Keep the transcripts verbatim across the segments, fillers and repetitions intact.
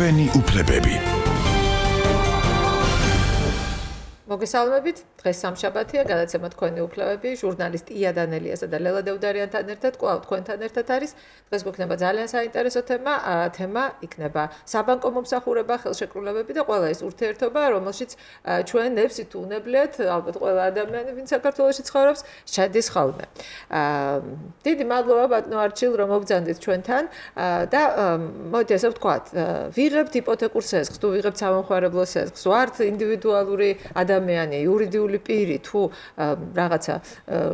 ჩვენი უფლებები. მოგესალმებით, დღეს სამშაბათია, გადაცემა თქვენი უფლებები, ჟურნალისტ ია დანელიასა და ლელა დევდარიანთან ერთად, კვლავ თქვენთან ერთად არის. დღეს გვექნება ძალიან საინტერესო თემა, თემა იქნება საბანკო მომსახურება, ხელშეკრულებები და ყველა ეს ურთიერთობა, რომელშიც ჩვენებს ითუნებლიათ, ალბათ ყველა ადამიანი, ვინც საქართველოში ცხოვრობს, შედის ხოლმე. დიდი მადლობა ბატონო არჩილ, რომ მოგბრძანდით ჩვენთან და მოდით ესე ვთქვათ, ვიღებთ იპოთეკურ სესხს, თუ ვიღებთ სამომხმარებლო სესხს, ვართ ინდივიდუალური ადამიანი, იურიდიული პირი, თუ რაღაცა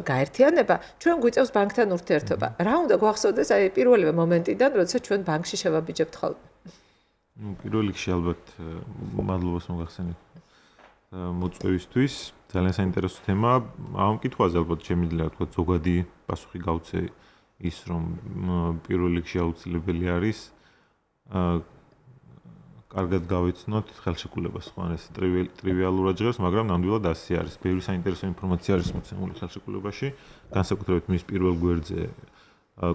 გაერთიანება, ჩვენ გვიწევს ბანკთან ურთიერთობა. რა უნდა გვახსოვდეს აი პირველივე მომენტიდან, როდესაც ჩვენ ბანკში შევაბიჯებთ ხოლმე? ნუ პირველ რიგში ალბათ მადლობას მოგახსენებთ მოწვევისთვის. ძალიან საინტერესო თემა. ამ კითხვაზე ალბათ შემიძლია თქვა ზოგადი პასუხი გავცე ის, რომ პირველ რიგში აუცილებელი არის კარგად გავიცნოთ ხელშეკრულებას, ხო, ეს ტრივიალურად ჟღერს, მაგრამ ნამდვილად ასე არის. ბევრი საინტერესო ინფორმაცია არის მოცემული ხელშეკრულებაში, განსაკუთრებით მის პირველ გვერდზე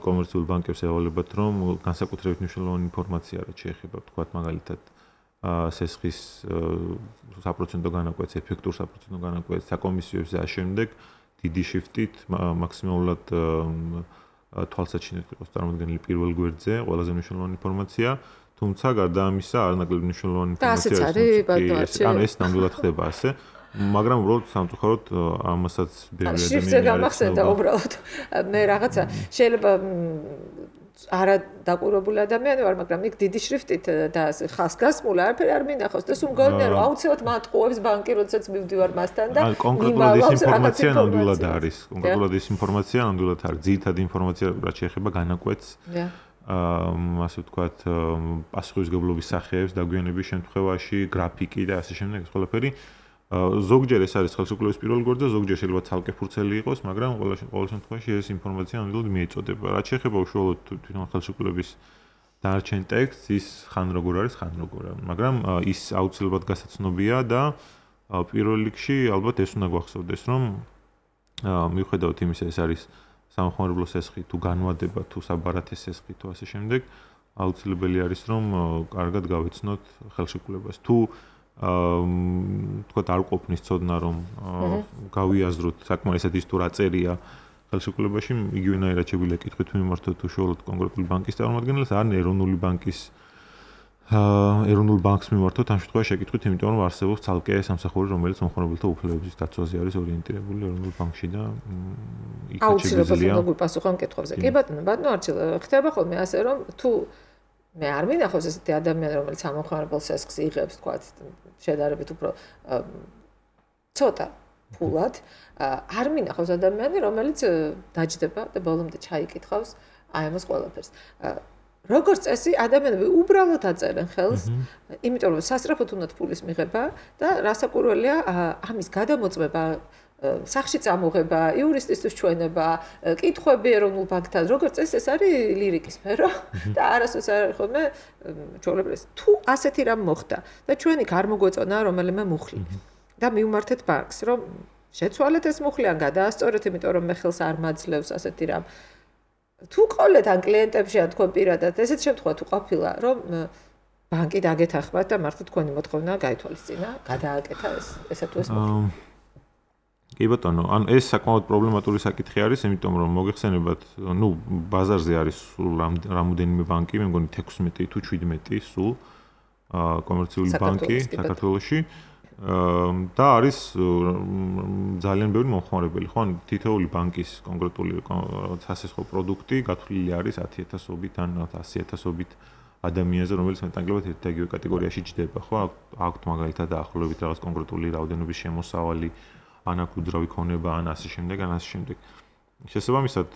კომერციულ ბანკებს ევალებათ, რომ განსაკუთრებით მნიშვნელოვანი ინფორმაცია რაც შეეხება, თქვათ მაგალითად, სესხის საპროცენტო განაკვეთს, ეფექტურ საპროცენტო განაკვეთს, საკომისიოებს და შემდეგ დიდი შიფტით მაქსიმალურად თვალსაჩინოდ იყოს წარმოდგენილი პირველ გვერდზე, ყველაზე მნიშვნელოვანი ინფორმაცია. თუმცა გარდა ამისა არანაკლებ მნიშვნელოვანი ინფორმაცია არის. ანუ ეს ნამდვილად ხდება ასე, მაგრამ უბრალოდ სამწუხაროდ ამასაც ბევრი ადამიანი შრიფტზე გამახსენდა უბრალოდ. მე რაღაცა შეიძლება არა დაკვირვებული ადამიანი ვარ, მაგრამ იქ დიდი შრიფტით და ხას გასმული არაფერი არ მინახავს და სულ მგონია რომ აუცილებლად მატყუებს ბანკი, როდესაც მივდივარ მასთან და კონკრეტულად ეს ინფორმაცია ნამდვილად არის. კონკრეტულად ეს ინფორმაცია ნამდვილად არის. ძირითადი ინფორმაცია რაც შეეხება განაკვეთს. ასე ვთქვათ, პასუხისმგებლობის სახეებს, დაგვიანების შემთხვევაში, გრაფიკი და ასე შემდეგ ეს ყველაფერი. ზოგჯერ ეს არის ხელშეკრულების პირველ გვერდზე, ზოგჯერ შეიძლება ცალკე ფურცელი იყოს, მაგრამ ყველა ყოველ შემთხვევაში ეს ინფორმაცია ნამდვილად მიეწოდება. რაც შეეხება უშუალოდ თვითონ ხელშეკრულების დანარჩენ ტექსტს, ის ხან როგორ არის, ხან როგორ არა. მაგრამ ის აუცილებლად გასაცნობია და პირველ რიგში ალბათ ეს უნდა გვახსოვდეს, რომ მიუხედავად იმისა, ეს არის სამომხმარებლო სესხი, თუ განვადება, თუ საბარათე სესხი, თუ ასე შემდეგ, აუცილებელი არის, რომ კარგად გავიცნოთ ხელშეკრულებას. თუ თქვათ არ ყოფნის ცოდნა, რომ გავიაზროთ საკმარისად ის თუ რა წერია ხელშეკრულებაში, იგივენაირად შეგვიძლია კითხვით მიმართოთ უშუალოდ კონკრეტული ბანკის წარმომადგენელს, ან ეროვნული ბანკის ეროვნულ ბანკს მიმართოთ, ამ შემთხვევაში შეკითხვით, იმიტომ რომ არსებობს ცალკე სამსახური, რომელიც მომხმარებელთა უფლებების დაცვაზე არის ორიენტირებული ეროვნულ ბანკში და იქაც შეგვიძლია აუცილებლად მკითხებზე. კი ბატონო, ბატონო არჩილ, ხდება ხოლმე ასე, რომ თუ მე არ მინახავს ესეთი ადამიანი, რომელიც სამომხმარებელ სესხს იღებს, თქვათ, შედარებით უფრო ცოტა ფულად, არ მინახავს ადამიანი, რომელიც დაჯდება და ბოლომდე ჩაიკითხავს აი ამას ყველაფერს. როგორც წესი, ადამიანები უბრალოდ აწერენ ხელს, იმიტომ რომ სასწრაფოდ უნდათ ფულის მიღება და რასაკვირველია, ამის გადამოწმება, სახში წამოღება, იურისტისთვის ჩვენება, კითხვები ეროვნულ ბანკთან, როგორც წესი, ეს არის ლირიკის სფერო და არასდროს არ არის ხოლმე ჩვეულებრივი. თუ ასეთი რამ მოხდა და ჩვენ იქ არ მოგვეწონა რომელიმე მუხლი და მივმართეთ ბანკს, რომ შეცვალეთ ეს მუხლი ან გადაასწორეთ, იმიტომ რომ მე ხელს არ მაძლევს ასეთი რამ. თუ ყოლეთ ან კლიენტებში ან თქვენ პირადად ესეთ შემთხვევა თუ ყოფილა, რომ ბანკი დაგეთანხმათ და მართლა თქვენი მოთხოვნა გაითვალისწინა, გადააკეთა ეს ესა თუ ეს მოხდა. კი ბატონო, ან ეს საკმაოდ პრობლემატური საკითხი არის, იმიტომ რომ მოგეხსენებათ, ნუ ბაზარზე არის სულ რამოდენიმე ბანკი, მე მგონი თექვსმეტი თუ შვიდმეტი სულ კომერციული ბანკი საქართველოში. და არის ძალიან ბევრი მომხმარებელი, ხო? თითოეული ბანკის კონკრეტული სასესხო პროდუქტი გათვლილი არის ათი ათასობით ან ასი ათასობით ადამიანზე, რომელიც მეტნაკლებად ერთ და იგივე კატეგორიაში ჯდება, ხო? აქვთ მაგალითად დაახლოებით რაღაც კონკრეტული რაოდენობის შემოსავალი, ან აქ უძრავი ქონება, ან ასე შემდეგ, ან ასე შემდეგ. შესაბამისად,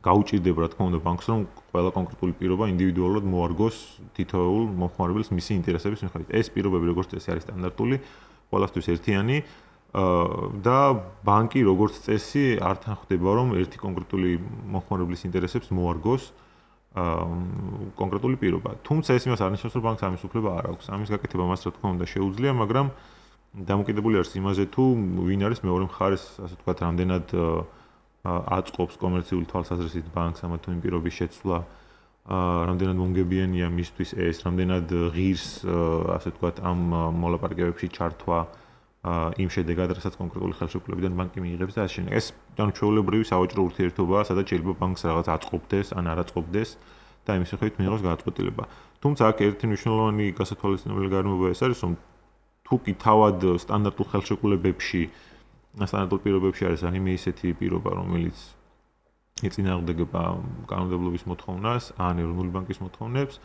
გაუჭირდება, რა თქმა უნდა, ბანკს, რომ ყველა კონკრეტული პირობა ინდივიდუალურად მოარგოს თითოეულ მომხმარებელს მისი ინტერესების მიხედვით. ეს პირობები როგორც წესი არის სტანდარტული, ყველასთვის ერთიანი და ბანკი როგორც წესი არ თანხდება, რომ ერთი კონკრეტული მომხმარებლის ინტერესებს მოარგოს კონკრეტული პირობა. თუმცა ეს იმას არ ნიშნავს, რომ ბანკს ამის უფლება არ აქვს. ამის გაკეთება მას რა თქმა უნდა შეუძლია, მაგრამ დამოკიდებული არის იმაზე, თუ ვინ არის მეორე მხარეს, ასე ვთქვათ, რამდენად აწყობს კომერციული თვალსაზრისით ბანკს ამა თუ იმ პირობის შეცვლა რამდენად მომგებიანია მისთვის ეს, რამდენად ღირს, ასე ვთქვათ, ამ მოლაპარაკებებში ჩართვა იმ შედეგად, რასაც კონკრეტული ხელშეკრულებიდან ბანკი მიიღებს და ასე შემდეგ. ეს ანუ ჩვეულებრივი სავაჭრო ურთიერთობაა, სადაც შეიძლება ბანკს რაღაც აწყობდეს, ან არ აწყობდეს და იმის მიხედვით მიიღოს გადაწყვეტილება. თუმცა აქ ერთი მნიშვნელოვანი გასათვალისწინებელი გარემოება ეს არის, რომ თუ კი თავად სტანდარტულ ხელშეკრულებებში, სტანდარტულ პირობებში არის რაიმე ისეთი პირობა, რომელიც ეწინააღმდეგება კანონმდებლობის მოთხოვნას, ან ეროვნული ბანკის მოთხოვნებს,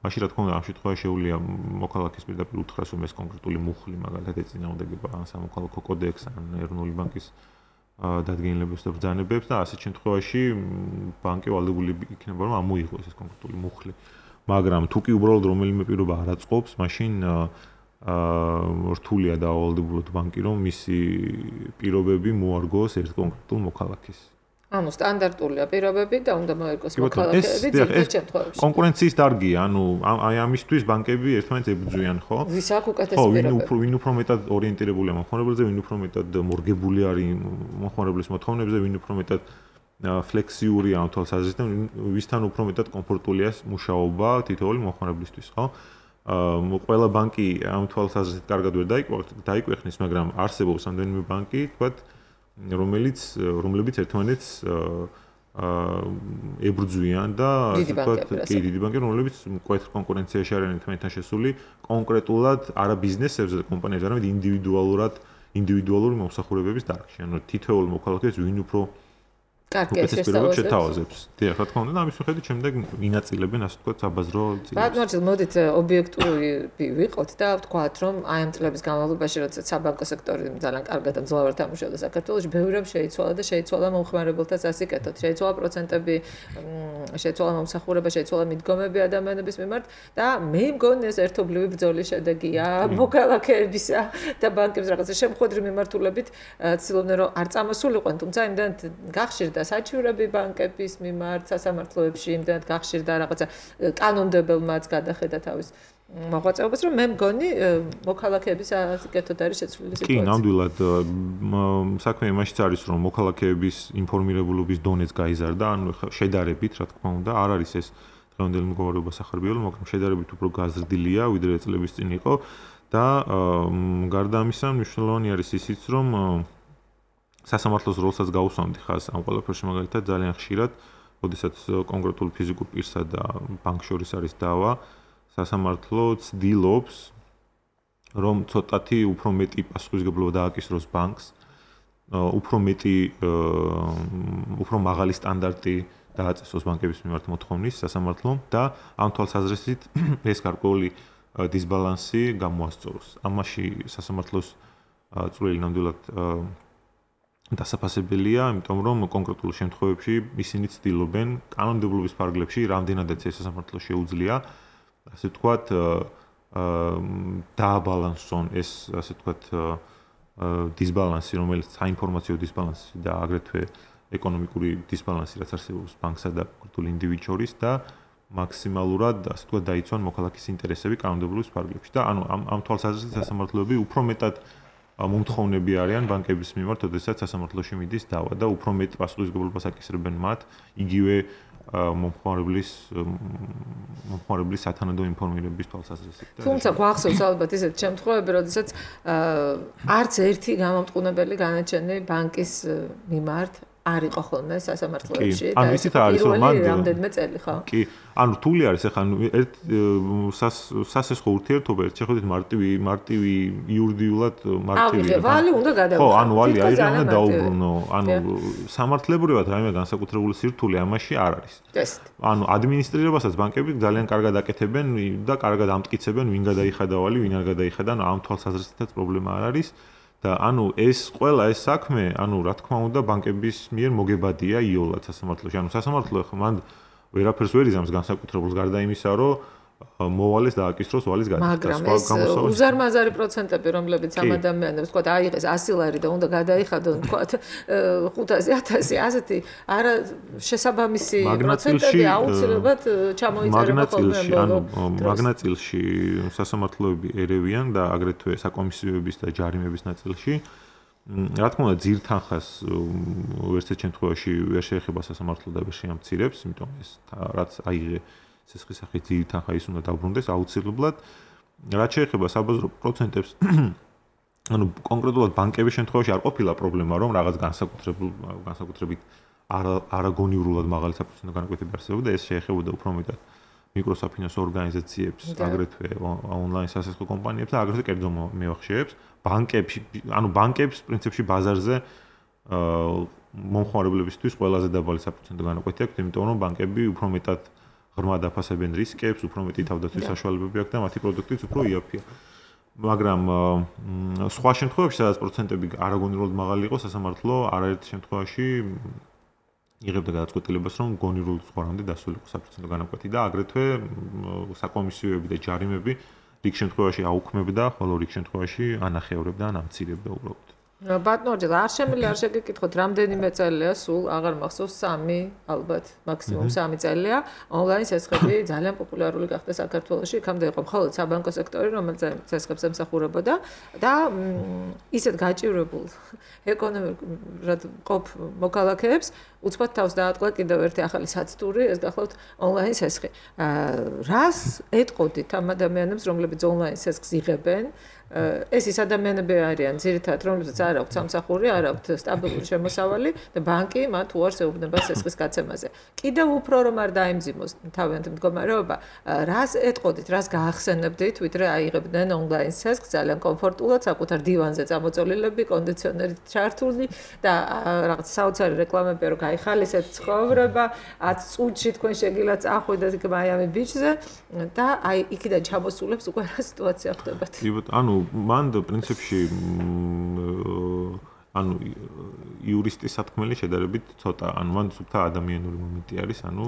მაშინ რა თქმა უნდა ამ შემთხვევაში შეუძლია მოქალაქის პირდაპირ უთხრას, რომ ეს კონკრეტული მუხლი მაგალითად ეწინააღმდეგება ან სამოქალაქო კოდექსს, ან ეროვნული ბანკის დადგენილებებს და ბრძანებებს და ასეთ შემთხვევაში ბანკი ვალდებული იქნება, რომ ამოიღოს ეს კონკრეტული მუხლი. მაგრამ თუ კი უბრალოდ რომელიმე პირობა არ აწყობს, მაშინ აა რთულია დაავალდებულოთ ბანკი, რომ მისი პირობები მოარგოს ერთ კონკრეტულ მოქალაქეს. ანუ სტანდარტულია პირობები და უნდა მოერგოს მოქალაქეები ძირითად შემთხვევებში. კონკურენციის დარგია, ანუ აი ამისთვის ბანკები ერთმანეთს ებრძვიან, ხო? ვის აქვს უკეთესი პირობები? ხო, ვინ უფრო მეტად ორიენტირებულია მომხმარებელზე, ვინ უფრო მეტად მორგებული არის მომხმარებლის მოთხოვნებზე, ვინ უფრო მეტად ფლექსიურია ამ თვალსაზრისით, ვისთან უფრო მეტად კომფორტულია მუშაობა თითოეული მომხმარებლისთვის, ხო? აა ყველა ბანკი ამ თვალსაზრისით კარგად ვერ დაიკვეხნის, მაგრამ არსებობს რამდენიმე ბანკი, თქვათ, რომელიც რომლებიც ერთმანეთს აა ებრძვიან და ასე ვთქვათ, კი დიდი ბანკები, რომლებიც მკვეთრ კონკურენციაში არიან ერთმანეთთან შესული, კონკრეტულად არა ბიზნესებზე და კომპანიებზე, არამედ ინდივიდუალურად, ინდივიდუალური მომსახურებების დარგში. ანუ თითოეულ მოქალაქეს ვინ უფრო კარგია შეთავაზებს. დიახ, რა თქმა უნდა, და ამის მიხედვით შემდეგ ინაწილებენ, ასე ვთქვათ, საბაზრო წილს. ბატონო, მოდით ობიექტური ვიყოთ და ვთქვათ, რომ აი ამ წლების განმავლობაში, როდესაც საბანკო სექტორი ძალიან კარგად და მძლავრად ამუშავდა საქართველოში, ბევრი რამ შეიცვალა და შეიცვალა მომხმარებელთა სასიკეთოდ, შეიცვალა პროცენტები, შეიცვალა მომსახურება, შეიცვალა მიდგომები ადამიანების მიმართ და მე მგონი ეს ერთობლივი ბრძოლის შედეგია მოქალაქეებისა და ბანკების რაღაცა შემოხვედრი მიმართულებით ცდილობდნენ, რომ არ წამოსულიყვნენ, თუმცა იმდანთ გახშირდა საჩივრები ბანკების მიმართ სასამართლოებში, იმდანაც გახშირდა რაღაცა კანონმდებელმაც გადახედა თავის მოღვაწეობას, რომ მე მგონი მოქალაქეების ასიკეთოდ არის შეცვლილი სიტუაცია. კი, ნამდვილად საქმე იმაშიც არის, რომ მოქალაქეების ინფორმირებულობის დონეც გაიზარდა, ანუ შედარებით, რა თქმა უნდა, არ არის ეს დღევანდელი მდგომარეობა სახარბიელო, მაგრამ შედარებით უფრო გაზრდილია, ვიდრე წლების წინ იყო და გარდა ამისა, მნიშვნელოვანი არის ისიც, რომ სასამართლოს როლსაც გაუსვამდი ხაზს ამ ყველაფერში მაგალითად ძალიან ხშირად, როდესაც კონკრეტულ ფიზიკურ პირსა და ბანკს შორის არის დავა, სასამართლო ცდილობს, რომ ცოტათი უფრო მეტი პასუხისმგებლობა დააკისროს ბანკს, უფრო მეტი, უფრო მაღალი სტანდარტი დააწესოს ბანკების მიმართ მოთხოვნის სასამართლომ და ამ თვალსაზრისით ეს გარკვეული დისბალანსი გამოასწოროს. ამაში სასამართლოს წვლილი ნამდვილად დასაფასებელია, იმიტომ რომ კონკრეტულ შემთხვევებში ისინი ცდილობენ კანონმდებლობის ფარგლებში რამდენადაც ეს სასამართლო შეუძლია, ასე ვთქვათ, დააბალანსონ ეს, ასე ვთქვათ, დისბალანსი, რომელიც საინფორმაციო დისბალანსი და აგრეთვე ეკონომიკური დისბალანსი, რაც არსებობს ბანკსა და კონკრეტულ ინდივიდს შორის და მაქსიმალურად, ასე ვთქვათ, დაიცვან მოქალაქის ინტერესები კანონმდებლობის ფარგლებში და ანუ ამ ამ თვალსაზრისით სასამართლოები უფრო მეტად მომთხოვნები არიან ბანკების მიმართ, როდესაც სასამართლოში მიდის დავა და უფრო მეტ პასუხისმგებლობას აკისრებენ მათ, იგივე მომხმარებლის მომხმარებლის სათანადო ინფორმირების თვალსაზრისით. თუმცა გვახსოვს ალბათ ისეთ შემთხვევები, როდესაც არც ერთი გამომტყუნებელი განაჩენი ბანკის მიმართ არ იყო ხოლმე სასამართლოებში და ანუ ისიც არის რომ მან რამდენიმე წელი ხო? კი, ანუ რთული არის ახლა ერთ სასესხო ურთიერთობა ერთ შეხედვით მარტივი მარტივი იურიდიულად მარტივია. აი, ვალი უნდა გადავიღო. ხო, ანუ ვალი არის რა უნდა დაუბრუნო. ანუ სამართლებრივად რაიმე განსაკუთრებული სირთულე ამაში არ არის. ანუ ადმინისტრირებასაც ბანკები ძალიან კარგად აკეთებენ და კარგად ამტკიცებენ ვინ გადაიხადა ვალი, ვინ არ გადაიხადა, ანუ ამ თვალსაზრისითაც პრობლემა არ არის. და ანუ ეს ყველა ეს საქმე, ანუ რა თქმა უნდა ბანკების მიერ მოგებადია იოლად სასამართლოში. ანუ სასამართლო ახლა მან ვერაფერს ვერ იზამს განსაკუთრებულს გარდა იმისა, რომ მოვალეს და აკისროს ვალის გადახდა. სხვა გამოსავალი უზარმაზარი პროცენტები, რომლებიც ამ ადამიანებს, თქვა, აიღეს ასი ლარი და უნდა გადაიხადონ, თქვა, ხუთასი ათასი, ასეთი არა შესაბამისი პროცენტები აუცილებლად ჩამოიწერება ხოლმე. ანუ მაგნაწილში სასამართლოები ერევიან და აგრეთვე საკომისიოების და ჯარიმების ნაწილში. რა თქმა უნდა, ძირთანხას ვერცერთ შემთხვევაში ვერ შეეხება სასამართლო და ვერ შეამცირებს, იმიტომ ეს რაც აიღე სესხის სახით ძირითადად თანხა ის უნდა დაუბრუნდეს აუცილებლად. რაც შეეხება საბაზრო პროცენტებს, ანუ კონკრეტულად ბანკების შემთხვევაში არ ყოფილა პრობლემა, რომ რაღაც განსაკუთრებულ განსაკუთრებით არაგონიურულად მაღალი საპროცენტო განაკვეთები არსებობდა, ეს შეეხებოდა უფრო მეტად მიკროსაფინანსო ორგანიზაციებს, აგრეთვე ონლაინ სასესხო კომპანიებს და აგრეთვე კერძო მევახშეებს, ბანკებში, ანუ ბანკებს პრინციპში ბაზარზე მომხმარებლებისთვის ყველაზე დაბალი საპროცენტო განაკვეთი აქვს, იმიტომ რომ ბანკები უფრო მეტად ღრმად აფასებენ რისკებს, უფრო მეტი თავდაცვის საშუალებები აქვს და მათი პროდუქტიც უფრო იაფია. მაგრამ სხვა შემთხვევებში, სადაც პროცენტები არაგონიურად მაღალი იყო, სასამართლო არაერთ შემთხვევაში იღებდა გადაწყვეტილებას, რომ გონიურულ ზღვარამდე დასულიყო საპროცენტო განაკვეთი და აგრეთვე საკომისიოები და ჯარიმები რიგ შემთხვევაში აუქმებდა, ხოლო რიგ შემთხვევაში ანახევრებდა, ან ამცირებდა უბრალოდ. ბატონო ჯერ არ შემიძლია არ შეგეკითხოთ რამდენიმე წელია სულ აღარ მახსოვს სამი ალბათ მაქსიმუმ სამი წელია ონლაინ სესხები ძალიან პოპულარული გახდა საქართველოში იქამდე იყო მხოლოდ საბანკო სექტორი რომელიც სესხებს ემსახურებოდა და ისეთ გაჭირებულ ეკონომიკურად ყოფ მოქალაქეებს უცბად თავს დაატყდა კიდევ ერთი ახალი საცტური ეს გახლავთ ონლაინ სესხი რას ეტყოდით ამ ადამიანებს რომლებიც ონლაინ სესხს იღებენ ეს ის ადამიანები არიან ძირითადად რომლებსაც არ აქვთ სამსახური, არ აქვთ სტაბილური შემოსავალი და ბანკი მათ უარს ეუბნება სესხის გაცემაზე. კიდევ უფრო რომ არ დაემძიმოს თავიანთი მდგომარეობა, რას ეტყოდით, რას გაახსენებდით, ვიდრე აიღებდნენ ონლაინ სესხს ძალიან კომფორტულად, საკუთარ დივანზე წამოწოლილები, კონდიციონერით ჩართული და რაღაც საოცარი რეკლამები რომ გაიხალისეთ ცხოვრება, ათ წუთში თქვენ შეგიძლიათ წახვიდეთ იქ მაიამი ბიჩზე და აი იქიდან ჩამოსულებს უკვე რა სიტუაცია ხდებათ. ანუ მან პრინციპში ანუ იურისტის სათქმელი შედარებით ცოტა ანუ მან სუფთა ადამიანური მომენტი არის ანუ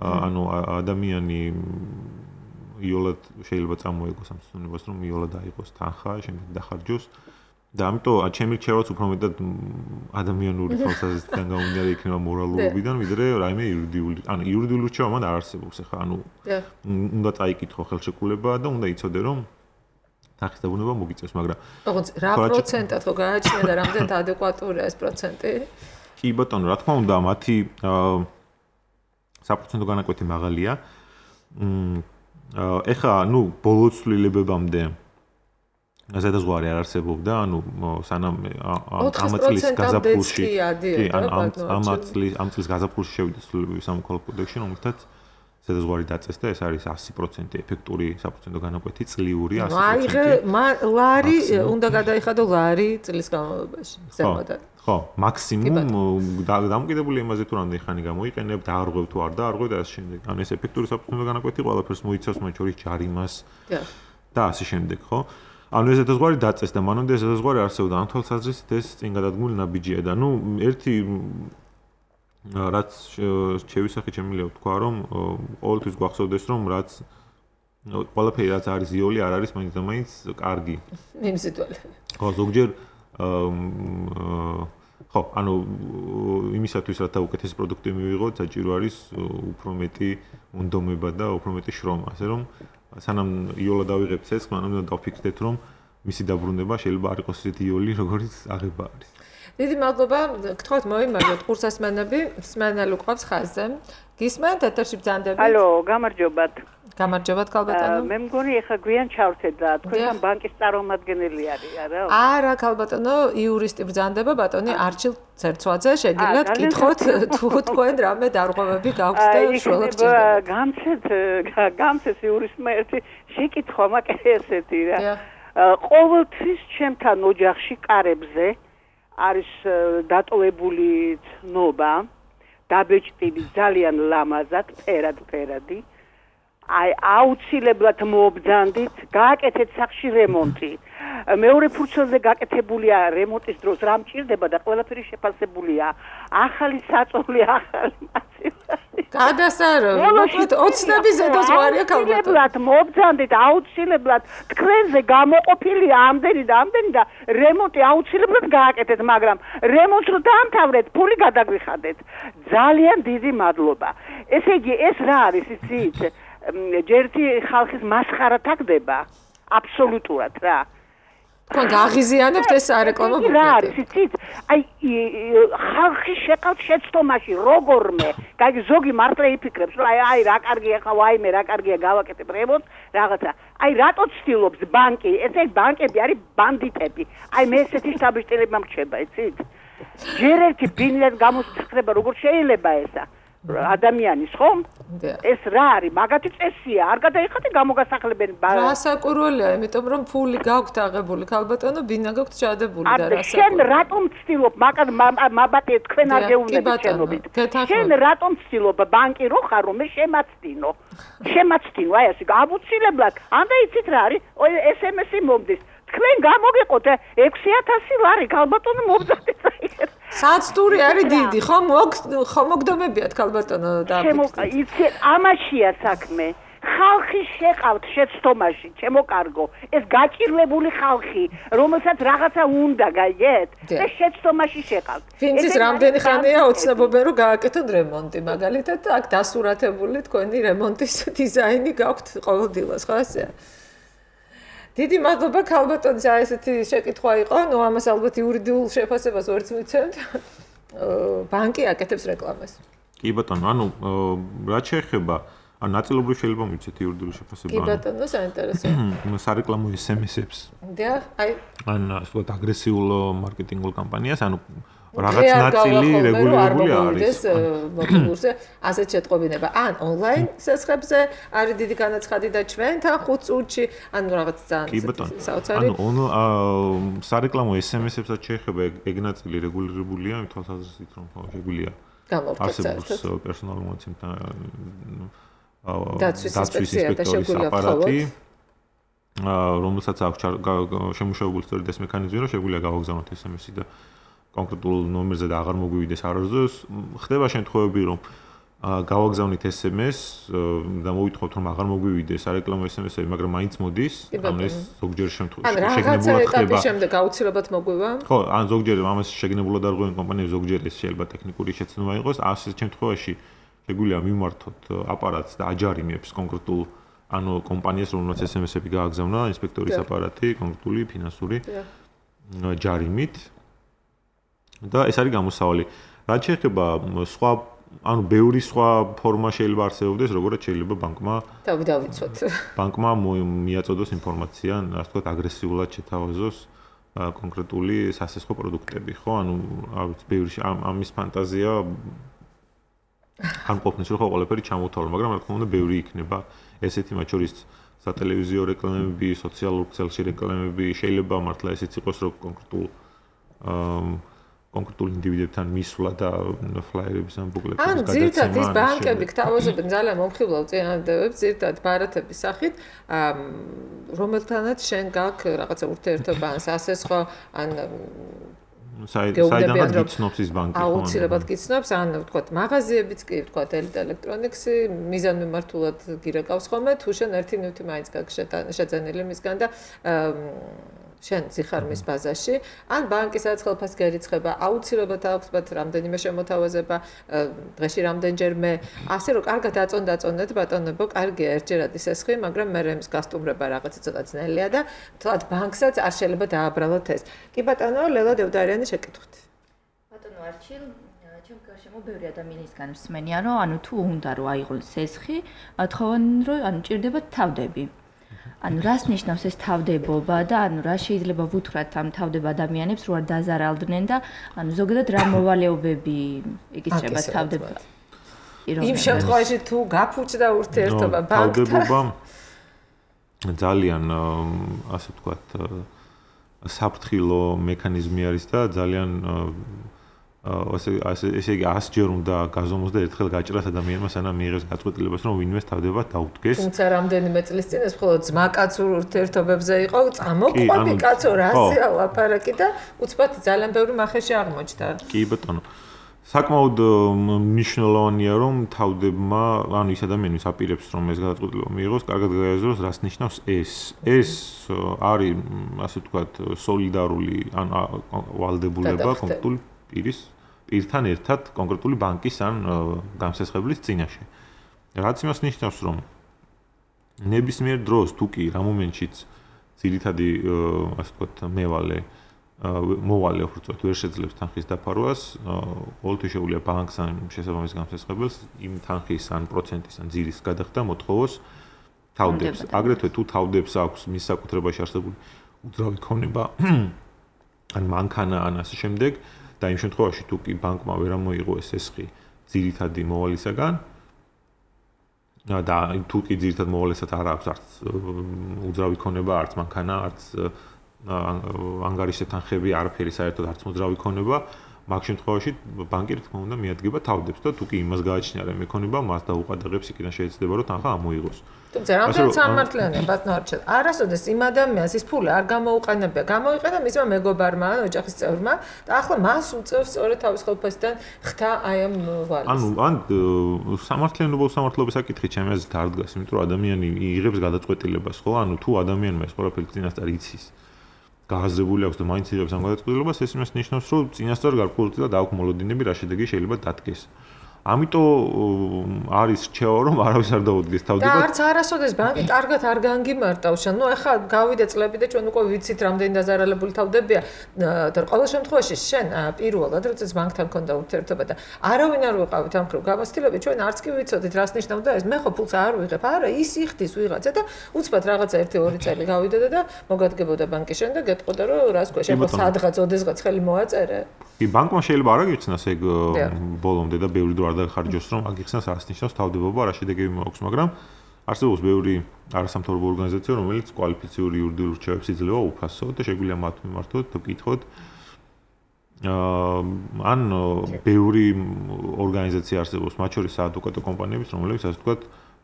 ანუ ადამიანი იოლად შეიძლება წამოეგოს ამ ცნობას რომ იოლად აიღოს თანხა შემდეგ დახარჯოს და ამიტომ ჩემი რჩევაც უფრო მეტად ადამიანური თვალსაზრისით გამომდინარე იქნება მორალურობიდან ვიდრე რაიმე იურიდიული ანუ იურიდიული რჩევა მან არ არსებობს ახლა ანუ უნდა წაიკითხო ხელშეკრულება და უნდა იცოდე რომ თანხის დაბრუნება მოგიწევს, მაგრამ ოღონდ რა პროცენტად ხო გააჩნია და რამდენად ადეკვატურია ეს პროცენტი? კი ბატონო, რა თქმა უნდა, მათი საპროცენტო განაკვეთი მაღალია. ეხლა, ну, ბოლო ცვლილებებამდე ზედაზღვარი არ არსებობდა, ანუ სანამ ამ წლის გაზაფხულში, კი, ამ წლის ამ წლის გაზაფხულში შევიდა ცვლილებები სამოქალაქო კოდექსში, რომელთაც ზედაზღვარი დაწესდა, ეს არის ასი პროცენტი ეფექტური საპროცენტო განაკვეთი, წლიური ასი პროცენტი. აი, ლარი უნდა გადაიხადო ლარი წლის განმავლობაში, ზემოდან. ხო, მაქსიმუმ დამოკიდებული იმაზე თუ რამდენი ხანი გამოიყენებ, დაარღვევ თუ არ დაარღვევ და ასე შემდეგ. ანუ ეს ეფექტური საპროცენტო განაკვეთი ყველაფერს მოიცავს, მათ შორის ჯარიმას და ასე შემდეგ, ხო? ანუ ეს ზედაზღვარი დაწესდა, მანამდე ეს ზედაზღვარი არსებობდა, ამ თვალსაზრისით ეს წინ გადადგმული ნაბიჯია და ნუ ერთი რაც შევისახე შემიძლია ვთქვა რომ ყოველთვის გვახსოვდეს რომ რაც ყველაფერი რაც არის ზიოლი არ არის მაინც და მაინც კარგი. მიმზიდველი. ხო, ზოგჯერ ხო, ანუ იმისათვის რათა უკეთესი პროდუქტი მივიღოთ, საჭირო არის უფრო მეტი უნდომება და უფრო მეტი შრომა, ასე რომ სანამ იოლა დავიღებთ ეს, მანამდე დავფიქრდეთ რომ მისი დაბრუნება შეიძლება არ იყოს ისეთი იოლი, როგორც აღება არის. დიდი მადლობა, გთხოვთ მოიმარჯვოთ ყურსასმენები, მსმენელი უყვავს ხაზზე. გისმენთ ეთერში ბრძანდებით? ალო, გამარჯობათ. გამარჯობათ ქალბატონო. მე მგონი ეხა გვიან ჩავთეთ და თქვენ ბანკის წარმომადგენელი არის, არა? არა, ქალბატონო, იურისტი ბრძანდება, ბატონი არჩილ ცერცვაძე, შეგიძლიათ კითხოთ თუ თქვენ რამე დარღვევები გაქვთ და შუალად ჭირდება. გამცეთ, გამცეს იურისტმა ერთი შეკითხვა, მაგრამ ესეთი რა. ყოველთვის ჩემთან ოჯახში კარებზე არის დატოვებული ცნობა, დაბეჭდილი ძალიან ლამაზად, ფერად ფერადი. აი აუცილებლად მოობძანდით, გააკეთეთ სახში რემონტი. მეორე ფურცელზე გაკეთებულია რემონტის დროს რა მჭირდება და ყველაფერი შეფასებულია. ახალი საწოლი, ახალი მასივი. გადასარო, მოკლედ ოცნების ზედაზღვარია ქალბატონო. აუცილებლად მოობძანდით, აუცილებლად თქვენზე გამოყოფილია ამდენი და ამდენი და რემონტი აუცილებლად გააკეთეთ, მაგრამ რემონტს რო დაამთავრეთ, ფული გადაგვიხადეთ. ძალიან დიდი მადლობა. ესე იგი, ეს რა არის, იცით? ჯერთი ხალხის მასხარა თაგდება აბსოლუტურად რა. თქვენ გაღიზიანებთ ეს სარეკლამო ბუკლეტი. რა არის იცით? აი ხალხი შეყავთ შეცდომაში როგორმე. კაი ზოგი მართლა იფიქრებს, რომ აი აი რა კარგია ხა ვაიმე რა კარგია გავაკეთებ რემონტს რაღაცა. აი რატო ცდილობს ბანკი? ესე ბანკები არის ბანდიტები. აი მე ესეთი შთაბეჭდილება მრჩება, იცით? ჯერ ერთი ბინდას გამოსწრება როგორ შეიძლება ესა? ადამიანის ხომ? ეს რა არის? მაგათი წესია. არ გადაიხადე გამოგასახლებენ ბანკს. რასაკურველია, იმიტომ რომ ფული გაქვთ აღებული, ქალბატონო, ბინა გაქვთ ჩადებული და რასაკურველია. შენ რატომ ცდილობ მაგათ მაბატე თქვენ არ გეუბნებით შენობით. შენ რატომ ცდილობ ბანკი რო ხარ რომ მე შემაცდინო. შემაცდინო, აი ასე აუცილებლად. ანდა იცით რა არის? ეს ემ ესი მომდის. თქვენ გამოგიყოთ ექვსი ათასი ლარი ქალბატონო მობძახეთ აი. საცტური არის დიდი, ხო ხო მოგდომებიათ ქალბატონო და იცი ამაშია საქმე. ხალხი შეყავთ შეცდომაში, ჩემო კარგო. ეს გაჭირვებული ხალხი, რომელსაც რაღაცა უნდა გაიგეთ, და შეცდომაში შეყავთ. ვინცის რამდენი ხანია ოცნებობენ რომ გააკეთოთ რემონტი, მაგალითად აქ დასურათებული თქვენი რემონტის დიზაინი გაქვთ ყოველდღიურად, ხო ასეა? დიდი მადლობა ქალბატონის აი ესეთი შეკითხვა იყო, ნუ ამას ალბათ იურიდიულ შეფასებას ვერც მიცემთ. ბანკი აკეთებს რეკლამას. კი ბატონო, ანუ რაც შეეხება, ანუ ნაწილობრივ შეიძლება მიცეთ იურიდიულ შეფასებას. კი ბატონო, საინტერესოა. სარეკლამო ეს ემ ეს-ებს. დიახ, აი. ან ასე ვთქვათ, აგრესიულ მარკეტინგულ კამპანიას, ანუ რაღაც ნაწილი რეგულირებული არის. მოგულზე ასეთ შეტყობინება. ან ონლაინ სესხებზე არის დიდი განაცხადი და ჩვენთან ხუთ წუთში, ანუ რაღაც ძალიან საოცარი. ანუ სარეკლამო ეს ემ ეს-ებსაც შეეხება ეგ ნაწილი რეგულირებულია, იმ თვალსაზრისით რომ შეგვიძლია არსებობს პერსონალურ მონაცემთა დაცვის ინსპექტორის აპარატი, რომელსაც აქვს შემუშავებული სწორედ ეს მექანიზმი, რომ შეგვიძლია გავაგზავნოთ ეს ემ ესი და კონკრეტულ ნომერზე და აღარ მოგვივიდეს არასდროს. ხდება შემთხვევები, რომ გავაგზავნით ეს ემ ეს და მოვითხოვთ, რომ აღარ მოგვივიდეს სარეკლამო ეს ემ ესი, მაგრამ მაინც მოდის. ანუ ეს ზოგჯერ შემთხვევაში შეგნებულად ხდება. ან რაღაცა ეტაპის შემდეგ აუცილებლად მოგვივა? ხო, ან ზოგჯერ ამას შეგნებულად არ ღვიენ კომპანიები, ზოგჯერ ეს შეიძლება ტექნიკური შეცდომა იყოს. ასეთ შემთხვევაში შეგვიძლია მიმართოთ აპარატს და აჯარიმებს კონკრეტულ ანუ კომპანიას, რომელსაც ეს ემ ესი-ები გააგზავნა, ინსპექტორის აპარატი, კონკრეტული ფინანსური ჯარიმით. და ეს არის გამოსავალი. რაც შეეხება სხვა, ანუ ბევრი სხვა ფორმა შეიძლება არსებობდეს, როგორც შეიძლება ბანკმა დავიცვათ. ბანკმა მიაწოდოს ინფორმაცია, ასე ვთქვათ, აგრესიულად შეთავაზოს კონკრეტული სასესხო პროდუქტები, ხო? ანუ ავიც ბევრი ამის ფანტაზია ან ყოფნის რომ ყველაფერი ჩამოთავრო, მაგრამ რა თქმა უნდა ბევრი იქნება ესეთი მათ შორის სატელევიზიო რეკლამები, სოციალურ ქსელში რეკლამები, შეიძლება მართლა ესეც იყოს რომ კონკრეტულ კონკრეტულ ინდივიდებთან მისვლა და ფლაიერების ან ბუკლეტების გადაცემა. ან ზირთად ის ბანკები გთავაზობენ ძალიან მომხიბლავ წინადადებებს, ზირთად ბარათების სახით, რომელთანაც შენ გაქვს რაღაცა ურთიერთობა ან სასესხო ან საიდანაც გიცნობს ის ბანკი. აუცილებლად გიცნობს, ან ვთქვათ, მაღაზიებიც კი, ვთქვათ, ელექტრონიქსი, მიზანმიმართულად გირეკავს ხოლმე, თუ შენ ერთი ნივთი მაინც გაქვს შეძენილი მისგან და შენ ზიხარ მის ბაზაში, ან ბანკისაც ხელფასი გერიცხება, აუცილებლად აქვს მათ რამდენიმე შემოთავაზება, დღეში რამდენჯერმე, ასე რომ კარგად აწონ-დაწონეთ ბატონებო, კარგია ერთჯერად ის ესხი, მაგრამ მე რემს გასტუმრება რაღაცა ცოტა ძნელია და თვათ ბანკსაც არ შეიძლება დააბრალოთ ეს. კი ბატონო, ლელა დევდარიანი შეკითხვით. ბატონო არჩილ, ჩემ გარშემო ბევრი ადამიანისგან მსმენია, რომ ანუ თუ უნდა რომ აიღოს ესხი, თხოვენ რომ ანუ ჭირდება თავდები. ანუ რას ნიშნავს ეს თავდებობა და ანუ რა შეიძლება ვუთხრათ ამ თავდება ადამიანებს რო არ დაზარალდნენ და ანუ ზოგადად რა მოვალეობები ეკისრება თავდება. იმ შემთხვევაში თუ გაფუჭდა ურთიერთობა ბანკთან. თავდებობა ძალიან ასე ვთქვათ საფრთხილო მექანიზმი არის და ძალიან ასე ესე იგი ასჯერ უნდა გაზომოს და ერთხელ გაჭრას ადამიანმა სანამ მიიღებს გაწყვეტილებას რომ ვინმეს თავდება დაუდგეს. თუმცა რამდენიმე წლის წინ ეს მხოლოდ ძმა-კაცურ ურთიერთობებზე იყო, წამოყვები კაცო რაზეა ლაპარაკი და უცბად ძალიან ბევრი მახეში აღმოჩნდა. კი ბატონო. საკმაოდ მნიშვნელოვანია რომ თავდებმა, ანუ ის ადამიანის აპირებს რომ ეს გადაწყვეტილება მიიღოს, კარგად გაიაზროს რას ნიშნავს ეს. ეს არის ასე ვთქვათ სოლიდარული ან ვალდებულება კონკრეტული პირის პირთან ერთად კონკრეტული ბანკის ან გამსესხებლის წინაშე. რაც იმას ნიშნავს, რომ ნებისმიერ დროს თუ კი რა მომენტშიც ძირითადი ასე ვთქვათ მევალე მოვალე უბრალოდ ვერ შეძლებს თანხის დაფარვას, ყოველთვის შეუძლია ბანკს ან შესაბამის გამსესხებელს იმ თანხის ან პროცენტის ან ძირის გადახდა მოთხოვოს თავდებს. აგრეთვე თუ თავდებს აქვს მის საკუთრებაში არსებული უძრავი ქონება ან მანქანა ან ასე შემდეგ და იმ შემთხვევაში თუ კი ბანკმა ვერ ამოიღო ეს ესხი ძირითადი მოვალისაგან და თუ კი ძირითად მოვალესაც არ აქვს არც უძრავი ქონება, არც მანქანა, არც ანგარიშზე თანხები, არაფერი საერთოდ არც მოძრავი ქონება, მაგ შემთხვევაში ბანკი რა თქმა უნდა მიადგება თავდებს და თუ კი იმას გააჩნია რა მექონება, მას დაუყადაღებს, იქიდან შეიძლება რომ თანხა ამოიღოს. თუმცა რამდენად სამართლიანია ბატონო არჩილ. არასოდეს იმ ადამიანს ის ფული არ გამოუყენებია, გამოიყენა მისმა მეგობარმა ან ოჯახის წევრმა და ახლა მას უწევს სწორედ თავის ხელფასიდან ხთა აი ამ ვალის. ანუ ან სამართლიანობო სამართლობის საკითხი ჩემი აზრით არ დგას, იმიტომ რომ ადამიანი იღებს გადაწყვეტილებას, ხო? ანუ თუ ადამიანმა ეს ყველაფერი წინასწარ იცის გააზრებული აქვს და მაინც იღებს ამ გადაწყვეტილებას, ეს იმას ნიშნავს, რომ წინასწარ გარკვეულწილად აქვს მოლოდინები, რა შედეგი შეიძლება დადგეს. ამიტომ არის რჩევა რომ არავის არ დაუდგეს თავდება. და არც არასოდეს ბანკი კარგად არ განგიმარტავს. ნუ ახლა გავიდა წლები და ჩვენ უკვე ვიცით რამდენი დაზარალებული თავდებია და ყოველ შემთხვევაში შენ პირველად როდესაც ბანკთან ქონდა ურთიერთობა და არავინ არ ვიყავით ამ ხრივ გამოცდილები, ჩვენ არც კი ვიცოდით რას ნიშნავდა ეს. მე ხო ფულს არ ვიღებ. არა, ის იხდის ვიღაცა და უცბად რაღაცა ერთი ორი წელი გავიდოდა და მოგადგებოდა ბანკის შენ და გეტყოდა რომ რას ქვია, შენ ხო სადღაც ოდესღაც ხელი მოაწერე. კი, ბანკმა შეიძლება არ აგიხსნას ეგ ბოლომდე და ბევრი დრო არ დაგხარჯოს რომ აგიხსნას რას ნიშნავს თავდებობა, რა შედეგები მაქვს, მაგრამ არსებობს ბევრი არასამთავრობო ორგანიზაცია, რომელიც კვალიფიციური იურიდიულ რჩევებს იძლევა უფასო და შეგვიძლია მათ მიმართოთ და ვკითხოთ. ან ბევრი ორგანიზაცია არსებობს, მათ შორის საადვოკატო კომპანიებიც, რომლებიც ასე ვთქვათ,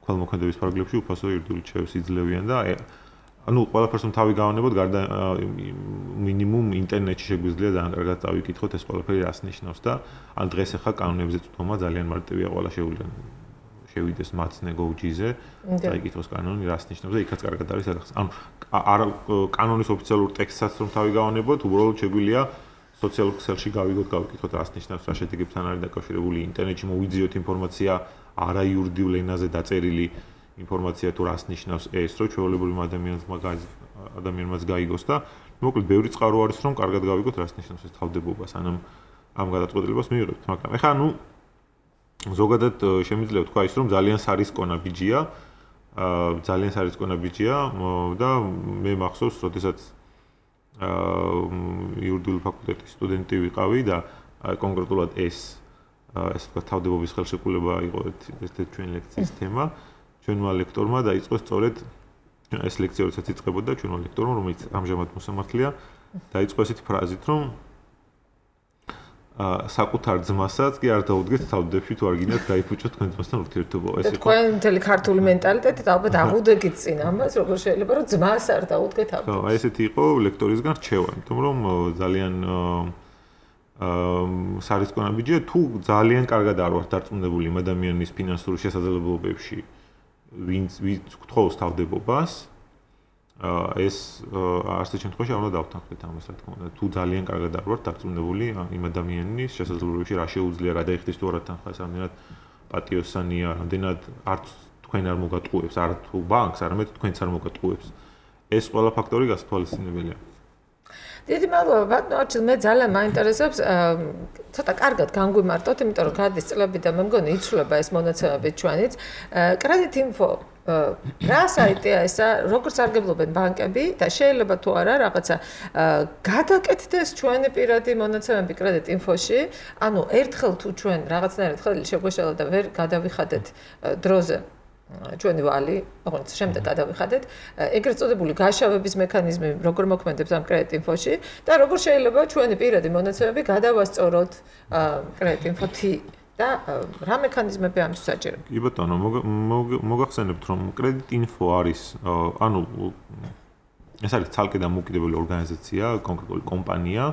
ქველმოქმედების ფარგლებში უფასო იურიდიულ რჩევებს იძლევიან და ანუ ყველაფერს რომ თავი გავანებოთ, გარდა მინიმუმ ინტერნეტში შეგვიძლია ძალიან კარგად წავიკითხოთ ეს ყველაფერი რას ნიშნავს და ან დღეს ახლა კანონებზე წვდომა ძალიან მარტივია, ყველა შეუძლია შევიდეს მაცნე გოუჯიზე, წაიკითხოს კანონი რას ნიშნავს და იქაც კარგად არის რაღაც. ანუ არ კანონის ოფიციალურ ტექსტსაც რომ თავი გავანებოთ, უბრალოდ შეგვიძლია სოციალურ ქსელში გავიგოთ, გავიკითხოთ რას ნიშნავს, რა შედეგებთან არის დაკავშირებული, ინტერნეტში მოვიძიოთ ინფორმაცია არა იურიდიულ ენაზე დაწერილი ინფორმაცია თუ რას ნიშნავს ეს, რომ ჩვეულებრივ ადამიანს ადამიანმაც გაიგოს და მოკლედ ბევრი წყარო არის, რომ კარგად გავიგოთ რას ნიშნავს ეს თავდებობა, სანამ ამ გადაწყვეტილებას მივიღებთ, მაგრამ ეხლა ანუ ზოგადად შემიძლია ვთქვა ის, რომ ძალიან სარისკონა ბიჯია, ძალიან სარისკონა ბიჯია და მე მახსოვს, როდესაც იურიდიულ ფაკულტეტის სტუდენტი ვიყავი და კონკრეტულად ეს ესე ვთქვათ თავდებობის ხელშეკრულება იყო ერთ-ერთი ჩვენი ლექციის თემა. ჩვენმა ლექტორმა დაიწყო სწორედ ეს ლექცია როდესაც იწყებოდა ჩვენმა ლექტორმა, რომელიც ამჟამად მოსამართლეა, დაიწყო ესეთი ფრაზით, რომ აა საკუთარ ძმასაც კი არ დაუდგეთ თავდებში თუ არ გინდათ გაიფუჭოთ თქვენ ძმასთან ურთიერთობა. ეს იყო თქვენ მთელი ქართული მენტალიტეტით ალბათ აღუდგეთ წინ ამას, როგორ შეიძლება რომ ძმას არ დაუდგეთ თავდებში. ხო, აი ესეთი იყო ლექტორისგან რჩევა, იმიტომ რომ ძალიან აა სარისკონა ბიჯია თუ ძალიან კარგად არ ვართ დარწმუნებული იმ ადამიანის ფინანსური შესაძლებლობებში ვინც ვინც გთხოვს თავდებობას ეს ასეთ შემთხვევაში არ უნდა დავთანხმდეთ ამას, რა თქმა უნდა. თუ ძალიან კარგად არ ვართ დარწმუნებული იმ ადამიანის შესაძლებლობებში რა შეუძლია გადაიხდეს თუ არა თანხას, რამდენად პატიოსანია, რამდენად არც თქვენ არ მოგატყუებს, არა თუ ბანკს, არამედ თქვენც არ მოგატყუებს. ეს ყველა ფაქტორი გასათვალისწინებელია. დიდი მადლობა ბატონო არჩილ, მე ძალიან მაინტერესებს ცოტა კარგად განგვიმარტოთ, იმიტომ რომ გადის წლები და მე მგონი იცვლება ეს მონაცემები ჩვენიც. კრედიტ ინფო რა საიტია ესა, როგორ სარგებლობენ ბანკები და შეიძლება თუ არა რაღაცა გადაკეთდეს ჩვენი პირადი მონაცემები კრედიტ ინფოში, ანუ ერთხელ თუ ჩვენ რაღაცნაირად ხელი შეგვეშალა და ვერ გადავიხადეთ დროზე ჩვენი ვალი, ოღონდ შემდეგ გადავიხადეთ, ეგრეთ წოდებული გაშავების მექანიზმი როგორ მოქმედებს ამ კრედიტ ინფოში და როგორ შეიძლება ჩვენი პირადი მონაცემები გადავასწოროთ კრედიტ ინფოთი და რა მექანიზმები ამის საჭირო. კი ბატონო, მოგახსენებთ რომ კრედიტ ინფო არის, ანუ ეს არის ცალკე დამოუკიდებელი ორგანიზაცია, კონკრეტული კომპანია,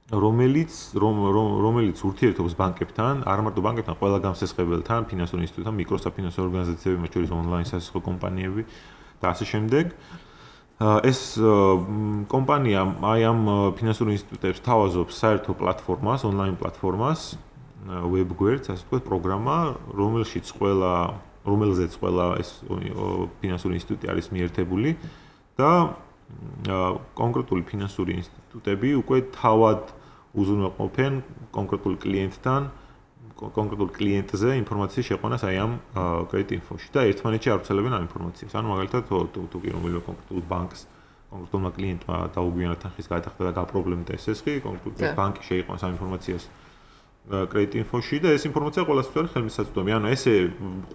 რომელიც რომელიც ურთიერთობს ბანკებთან, არ მარტო ბანკებთან, ყველა გამსესხებელთან, ფინანსურ ინსტიტუტთან, მიკროსაფინანსო ორგანიზაციები, მათ შორის ონლაინ სასახო კომპანიები და ასე შემდეგ. ეს კომპანია აი ამ ფინანსურ ინსტიტუტებს თავაზობს საერთო პლატფორმას, ონლაინ პლატფორმას, web გვერდს, ასე ვთქვათ, პროგრამა, რომელშიც ყველა, რომელზეც ყველა ეს ფინანსური ინსტიტუტი არის მიერთებული და კონკრეტული ფინანსური ინსტიტუტები უკვე თავად უზრუნველყოფენ კონკრეტულ კლიენტთან კონკრეტულ კლიენტზე ინფორმაციის შეყვანას აი ამ კრედიტ ინფოში და ერთმანეთში არ ვრცელებენ ამ ინფორმაციას. ანუ მაგალითად თუ კი რომელიმე კონკრეტულ ბანკს კონკრეტულმა კლიენტმა დაუგვიანად თანხის გადახდა და გაპრობლემდა ეს ესხი, კონკრეტულ ბანკი შეიყვანს ამ ინფორმაციას კრედიტ ინფოში და ეს ინფორმაცია ყველასთვის არის ხელმისაწვდომი. ანუ ესე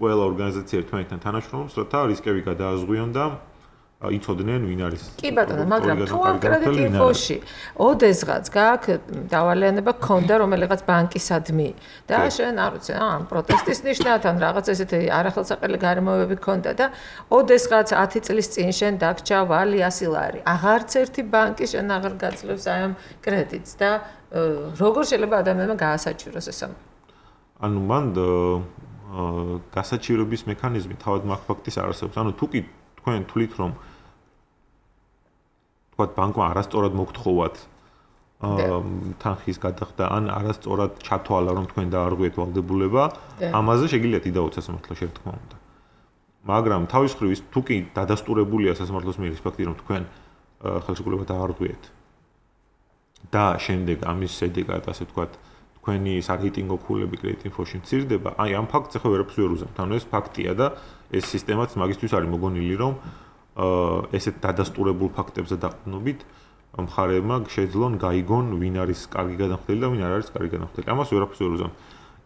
ყველა ორგანიზაცია ერთმანეთთან თანაშრომობს, რათა რისკები გადააზღვიონ და იცოდნენ ვინ არის. კი ბატონო, მაგრამ თუ ამ კრედიტ ინფოში ოდესღაც გააქვს დავალიანება გქონდა რომელიღაც ბანკისადმი და შენ არ ვიცი, ამ პროტესტის ნიშნად ან რაღაც ესეთი არახელსაყრელი გარემოებები გქონდა და ოდესღაც ათი წლის წინ შენ დაგჭა ვალი ასი ლარი. აღარც ერთი ბანკი შენ აღარ გაძლევს აი ამ კრედიტს და როგორ შეიძლება ადამიანმა გაასაჭიროს ეს ამ? ანუ მან გასაჭიროების მექანიზმი თავად მაგ ფაქტის არ არსებობს. ანუ თუ კი თქვენ თვლით რომ თქვათ ბანკმა არასწორად მოგთხოვათ თანხის გადახდა ან არასწორად ჩათვალა რომ თქვენ დაარღვიეთ ვალდებულება, ამაზე შეგიძლიათ იდაოთ სასამართლოში შეთქმა უნდა. მაგრამ თავის მხრივ თუ კი დადასტურებულია სასამართლოს მიერ ის ფაქტი რომ თქვენ ხელშეკრულება დაარღვიეთ და შემდეგ ამის შედეგად ასე ვთქვათ თქვენი სარეიტინგო ქულები კრედიტ ინფოში მცირდება, აი ამ ფაქტს ახლა ვერაფერს ვერ უზამთ. ანუ ეს ფაქტია და ეს სისტემაც მაგისთვის არის მოგონილი რომ ესეთ დადასტურებულ ფაქტებზე დაყრდნობით მხარეებმა შეძლონ გაიგონ ვინ არის კარგი გადამხდელი და ვინ არ არის კარგი გადამხდელი. ამას ვერაფერს ვერ უზამთ.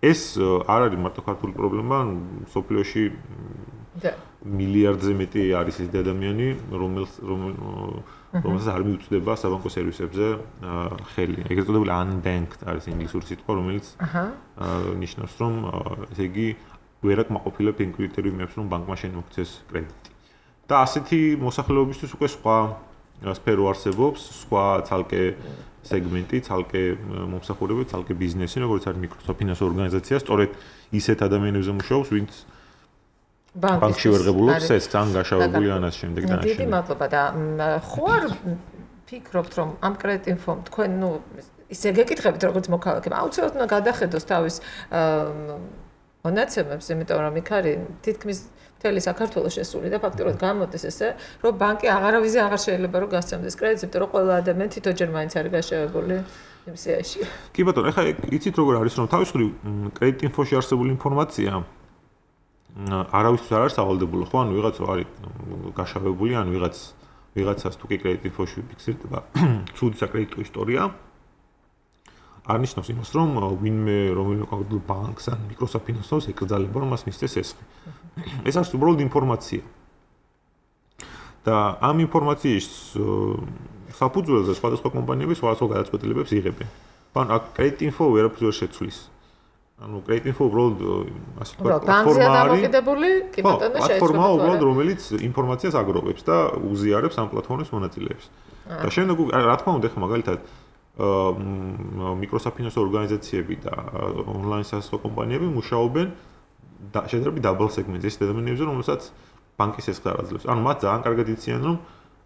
ეს არ არის მარტო ქართული პრობლემა, სოფლიოში მილიარდზე მეტი არის ეს ადამიანი, რომელს რომელსაც არ მიუწვდება საბანკო სერვისებზე ხელი. ეგრეთ წოდებული unbanked არის ინგლისური სიტყვა, რომელიც ნიშნავს რომ ესე იგი ვერ აკმაყოფილებს იმ კრიტერიუმებს, რომ ბანკმა შემოგცეს კრედიტი. და ასეთი მოსახლეობისთვის უკვე სხვა სფერო არსებობს, სხვა ცალკე სეგმენტი, ცალკე მომსახურება, ცალკე ბიზნესი, როგორც არის მიკროფინანსო ორგანიზაცია, სწორედ ისეთ ადამიანებზე მუშაობს, ვინც ბანკში ვერ ღებულობს ეს თან გაშავებული ან ამ შემდეგ და ამ შემდეგ. დიდი მადლობა და ხო არ ფიქრობთ რომ ამ კრედიტ ინფომ თქვენ ნუ ისე გეკითხებით როგორც მოქალაქეებმა აუცილებლად უნდა გადახედოს თავის მონაცემებს, იმიტომ რომ იქ არის თითქმის მთელი საქართველოს შესული და ფაქტობრივად გამოდის ესე, რომ ბანკი აღარავიზე აღარ შეიძლება რომ გასცემდეს კრედიტს, იმიტომ რომ ყველა ადამიანი თვითონჯერ მაინც არის გაშავებული იმ სიაში. კი ბატონო, ეხლა იცით როგორ არის რომ თავის მხრივ კრედიტ ინფოში არსებული ინფორმაცია არავისთვის არ არის სავალდებულო, ხო? ანუ ვიღაც არის გაშავებული, ან ვიღაც ვიღაცას თუ კი კრედიტ ინფოში ფიქსირდება ცუდი საკრედიტო ისტორია, არ ნიშნავს იმას, რომ ვინმე რომელიმე კონკრეტულ ბანკს ან მიკროფინანსოს ეკრძალება, რომ მას მისცეს ესხი. ეს არის უბრალოდ ინფორმაცია. და ამ ინფორმაციის საფუძველზე სხვადასხვა კომპანიები სხვადასხვა გადაწყვეტილებებს იღებენ. ან აქ კრედიტ ინფო ვერაფერს ვერ შეცვლის. ანუ კრედიტ ინფო უბრალოდ ასე ვთქვათ პლატფორმა არის, კი ბატონო, პლატფორმა უბრალოდ რომელიც ინფორმაციას აგროვებს და უზიარებს ამ პლატფორმის მონაწილეებს. და შემდეგ რა თქმა უნდა, ხა მაგალითად მიკროფინანსო ორგანიზაციები და ონლაინ სასწავლო კომპანიები მუშაობენ შედარებით დაბალ სეგმენტზე, ის ადამიანებზე, რომელსაც ბანკის ესხი არ აძლევს. ანუ მათ ძალიან კარგად იციან, რომ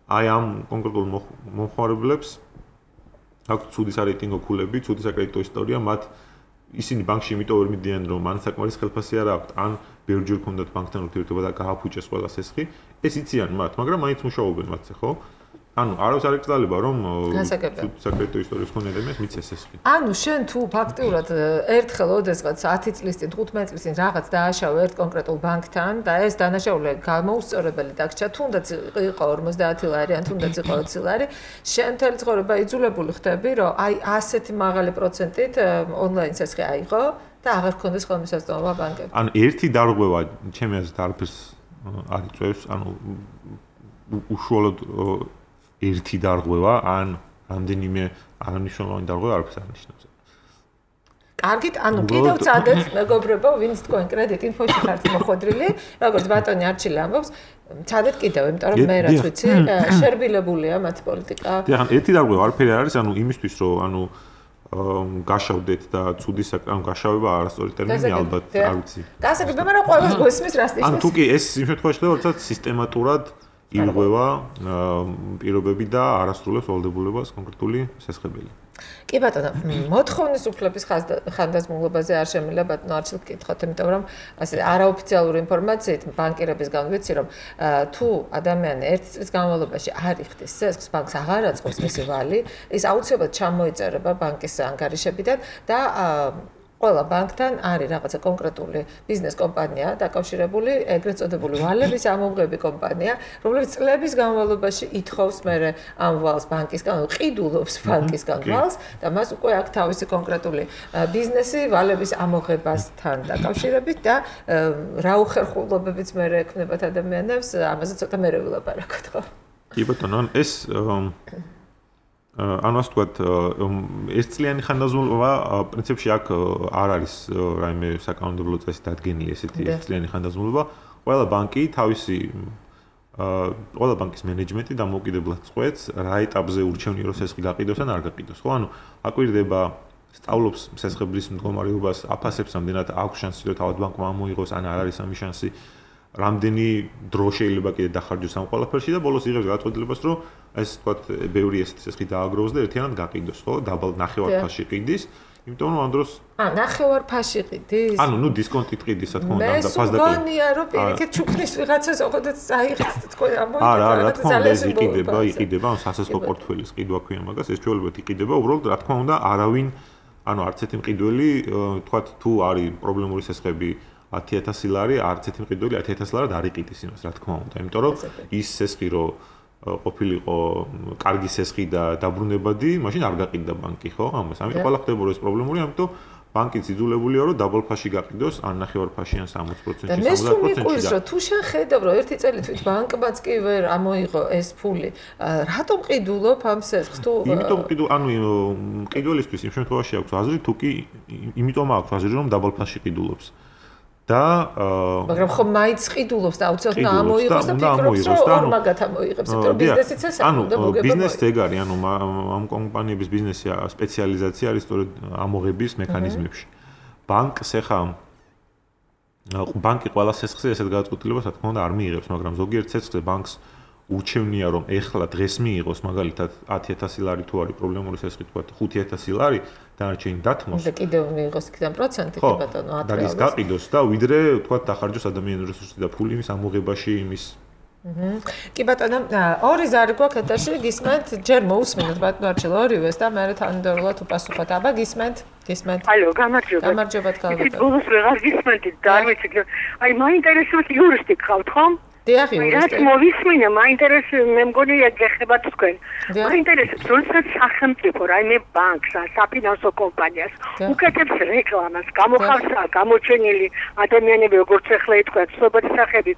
აი ამ კონკრეტულ მომხმარებლებს აქვს ცუდი სარეიტინგო ქულები, ცუდი საკრედიტო ისტორია, მათ ისინი ბანკში იმიტომ ვერ მიდიან, რომ ან საკმარის ხელფასი არ აქვთ, ან ბევრჯერ ქონდათ ბანკთან ურთიერთობა და გააფუჭეს ყველა ესხი. ეს იციან მათ, მაგრამ მაინც მუშაობენ მათზე, ხო? ანუ არავის არ ეკრძალება რომ საკრედიტო ისტორიის მქონე ადამიანს მიცეს ესხი. ანუ შენ თუ ფაქტიურად ერთხელ ოდესღაც ათი წლის წინ, თხუთმეტი წლის წინ რაღაც დააშავე ერთ კონკრეტულ ბანკთან და ეს დანაშაული გამოუსწორებელი დაგჭა, თუნდაც იყო ორმოცდაათი ლარი, ან თუნდაც იყო ოცი ლარი, შენ მთელი ცხოვრება იძულებული ხდები, რომ აი ასეთი მაღალი პროცენტით ონლაინ ესხი აიღო და აღარ გქონდეს ხელმისაწვდომობა ბანკებში. ანუ ერთი დარღვევა ჩემი აზრით არაფერს არ იწვევს, ანუ უშუალოდ ერთი დარღვევა ან რამდენიმე არამნიშვნელოვანი დარღვევა არაფერს არ ნიშნავს. კარგით, ანუ კიდევ წადეთ მეგობრებო, ვინც თქვენ კრედიტ ინფოში ხართ მოხვედრილი, როგორც ბატონი არჩილი ამბობს, წადეთ კიდევ, იმიტომ რომ მე რაც ვიცი, შერბილებულია მათი პოლიტიკა. დიახ, ერთი დარღვევა არაფერი არ არის, ანუ იმისთვის რომ ანუ გაშავდეთ და ცუდი საკრამ გაშავება არასწორი ტერმინი ალბათ არ ვიცი. გასაგებია, მაგრამ ყველას გვესმის რას ნიშნავს. ანუ თუ კი ეს იმ შემთხვევაში ხდება, როდესაც სისტემატურად ირღვევა პირობები და არასრულებს ვალდებულებას კონკრეტული შესაძლებელი. კი ბატონო, მოთხოვნის უფლების ხანდაზმულობაზე არ შემიძლია ბატონო არჩილ გკითხოთ, იმიტომ რომ ასე არაოფიციალური ინფორმაციით ბანკირებისგან ვიცი, რომ თუ ადამიანი ერთი წლის განმავლობაში არ იხდის სესხს, ბანკს აღარ აწყობს მისი ვალი, ის აუცილებლად ჩამოიწერება ბანკის ანგარიშებიდან და ყველა ბანკთან არის რაღაცა კონკრეტული ბიზნეს კომპანია დაკავშირებული, ეგრეთ წოდებული ვალების ამომღები კომპანია, რომელიც წლების განმავლობაში ითხოვს მერე ამ ვალს ბანკისგან, ყიდულობს ბანკისგან ვალს და მას უკვე აქვს თავისი კონკრეტული ბიზნესი ვალების ამოღებასთან დაკავშირებით და რა უხერხულობებიც მერე ექნებათ ადამიანებს, ამაზე ცოტა მერე ვილაპარაკოთ, ხო? კი ბატონო, ეს ანუ ასე ვთქვათ, ერთწლიანი ხანდაზმულობა პრინციპში აქ არ არის რაიმე საკანონმდებლო წესით დადგენილი ესეთი ერთწლიანი ხანდაზმულობა. ყველა ბანკი თავისი ყველა ბანკის მენეჯმენტი დამოუკიდებლად წყვეტს რა ეტაპზე ურჩევნია რომ სესხი გაყიდოს ან არ გაყიდოს. ხო, ანუ აკვირდება სწავლობს სესხების მდგომარეობას, აფასებს ამდენად აქვს შანსი რომ თავად ბანკმა ამოიღოს ან არ არის ამის შანსი. რამდენი დრო შეიძლება კიდე დახარჯოს ამ ყველაფერში და ბოლოს იღებს გადაწყვეტილებას რომ ეს თქვათ ბევრი ესეთი სესხი დააგროვოს და ერთიანად გაყიდოს, ხო? დაბალ ნახევარფასში ყიდის, იმიტომ რომ ამ დროს ა ნახევარფასში ყიდის? ანუ ნუ დისკონტით ყიდის, რა თქმა უნდა, და ფასდაკლი. მე მგონია რომ პირიქით ჩუქნის ვიღაცას ოღონდ წაიღეთ თქვენ ამოიღეთ. არა, რა თქმა უნდა, ეს იყიდება, იყიდება, ან სასესხო პორტფელის ყიდვა ქვია მაგას, ეს ჩვეულებრივ იყიდება, უბრალოდ რა თქმა უნდა, არავინ, ანუ არც ერთი მყიდველი, თქვათ თუ არის პრობლემური სესხები ათი ათასი ლარი, არც ერთი მყიდველი ათი ათასი ლარად არ იყიდის იმას, რა თქმა უნდა, იმიტომ რომ ის სესხი რომ ყოფილიყო კარგი სესხი და დაბრუნებადი, მაშინ არ გაყიდდა ბანკი, ხო? ამას. ამიტომ ყველა ხდება რომ ეს პრობლემური, ამიტომ ბანკი ძიძულებულია რომ დაბალ ფასში გაყიდოს, ან ნახევარფასში, ან სამოცი პროცენტში, სამოცდაათ პროცენტში. და მე თუ შენ ხედავ რომ ერთი წელი თვით ბანკმაც კი ვერ ამოიღო ეს ფული, რატომ ყიდულობ ამ სესხს? თუ იმიტომ ყიდულ, ანუ ყიდველისთვის იმ შემთხვევაში აქვს აზრი, თუ კი იმიტომ აქვს აზრი რომ დაბალ ფასში ყიდულობს. და მაგრამ ხომ მაინც ყიდულობს და აუცილებლად ამოიღოს და ფიქრობს რომ ორმაგათ ამოიღებს, იმიტომ რომ ბიზნესიც ეს ანუ ბიზნესიც ეგ არის, ანუ ამ კომპანიების ბიზნესი სპეციალიზაცია არის სწორედ ამოღების მექანიზმებში. ბანკს ეხა ბანკი ყველა სესხზე ესეთ გადაწყვეტილებას რა თქმა უნდა არ მიიღებს, მაგრამ ზოგიერთ სესხზე ბანკს ურჩევნია რომ ეხლა დღეს მიიღოს მაგალითად ათი ათასი ლარი თუ არის პრობლემური სესხი, თქვა ხუთი ათასი ლარი დანარჩენი დათმოს. და კიდევ მიიღოს იქიდან პროცენტი კი ბატონო ათი. და ის გაყიდოს და ვიდრე თქვა დახარჯოს ადამიანური რესურსი და ფული იმის ამოღებაში იმის. აჰა. კი ბატონო, ორი ზარი გვაქვს ეთერში, გისმენთ, ჯერ მოусმინოთ ბატონო არჩილ ორივეს და მე თანმიმდევრულად უპასუხოთ. აბა გისმენთ, გისმენთ. ალო, გამარჯობა. გამარჯობა თქალბატონო. ის ბოლოს ვეღარ გისმენთ და არ ვიცი, აი მაინტერესებს იურისტი გყავთ ხომ? დიახ, იურისტი. რაც მოვისმინე, მაინტერესებს, მე მგონი ეხებათ თქვენ. მაინტერესებს, როდესაც სახელმწიფო რაიმე ბანკს ან საფინანსო კომპანიას უკეთებს რეკლამას, გამოხავს გამოჩენილი ადამიანები, როგორც ახლა ითქვა, ცნობადი სახეები,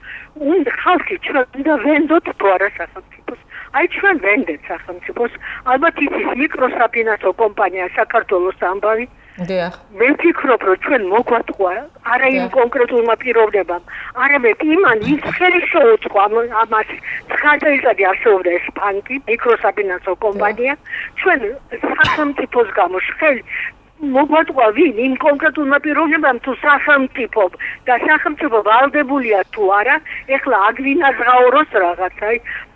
უნდა ხალხი ჩვენ უნდა ვენდოთ თუ არა სახელმწიფოს. აი ჩვენ ვენდეთ სახელმწიფოს, ალბათ იცის მიკროსაფინანსო კომპანია საქართველოს ამბავი. დიახ. მე ვფიქრობ, რომ ჩვენ მოგვატყვა არა იმ კონკრეტულმა პიროვნებამ, არამედ იმან ის ხელი შეუწყო ამას ცხრა წელიწადი არსებობდა ეს ბანკი, მიკროსაფინანსო კომპანია, ჩვენ სახელმწიფოს გამო ხელი მოგვატყვა ვინ იმ კონკრეტულმა პიროვნებამ თუ სახელმწიფო და სახელმწიფო ვალდებულია თუ არა, ეხლა აგვინაზღაუროს რაღაცა.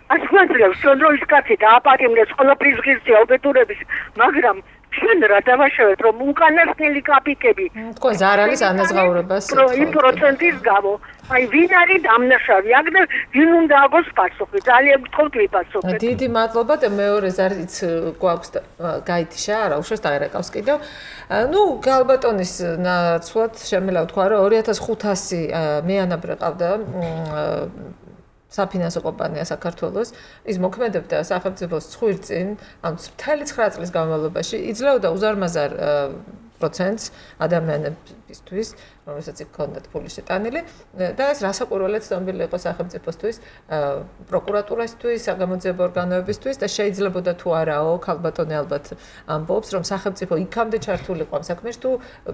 ας გვაძლევს რომ ის კაცი დააპატიმრეს ყველაფრის ღირსია უბედურების, მაგრამ ჩვენ რა დავაშევეთ რომ უკანასკნელი კაპიკები თქვენ ზარალის ანაზღაურებას იმ პროცენტის გამო აი ვინ არის დამნაშავე აქ და ვინ უნდა აგოს პასუხი ძალიან გთხოვთ ვიპასუხეთ. დიდი მადლობა და მეორე ზარიც გვაქვს გაითიშა არა უშავს დაერეკავს კიდევ. ნუ გალბატონის ნაცვლად შემიძლია ვთქვა რომ ორი ათას ხუთასი მეანაბრე ყავდა საფინანსო კომპანია საქართველოს, ის მოქმედებდა სახელმწიფოს ცხვირწინ, ანუ მთელი ცხრა წლის განმავლობაში იძლეოდა უზარმაზარ პროცენტს ადამიანებისთვის, რომელსაც იქონდათ ფული შეტანილი და ეს რასაკვირველად ცნობილი იყო სახელმწიფოსთვის, პროკურატურასთვის, საგამოძიებო ორგანოებისთვის და შეიძლებოდა თუ არაო, ქალბატონი ალბათ ამბობს, რომ სახელმწიფო იქამდე ჩართული იყო ამ საქმეში თუ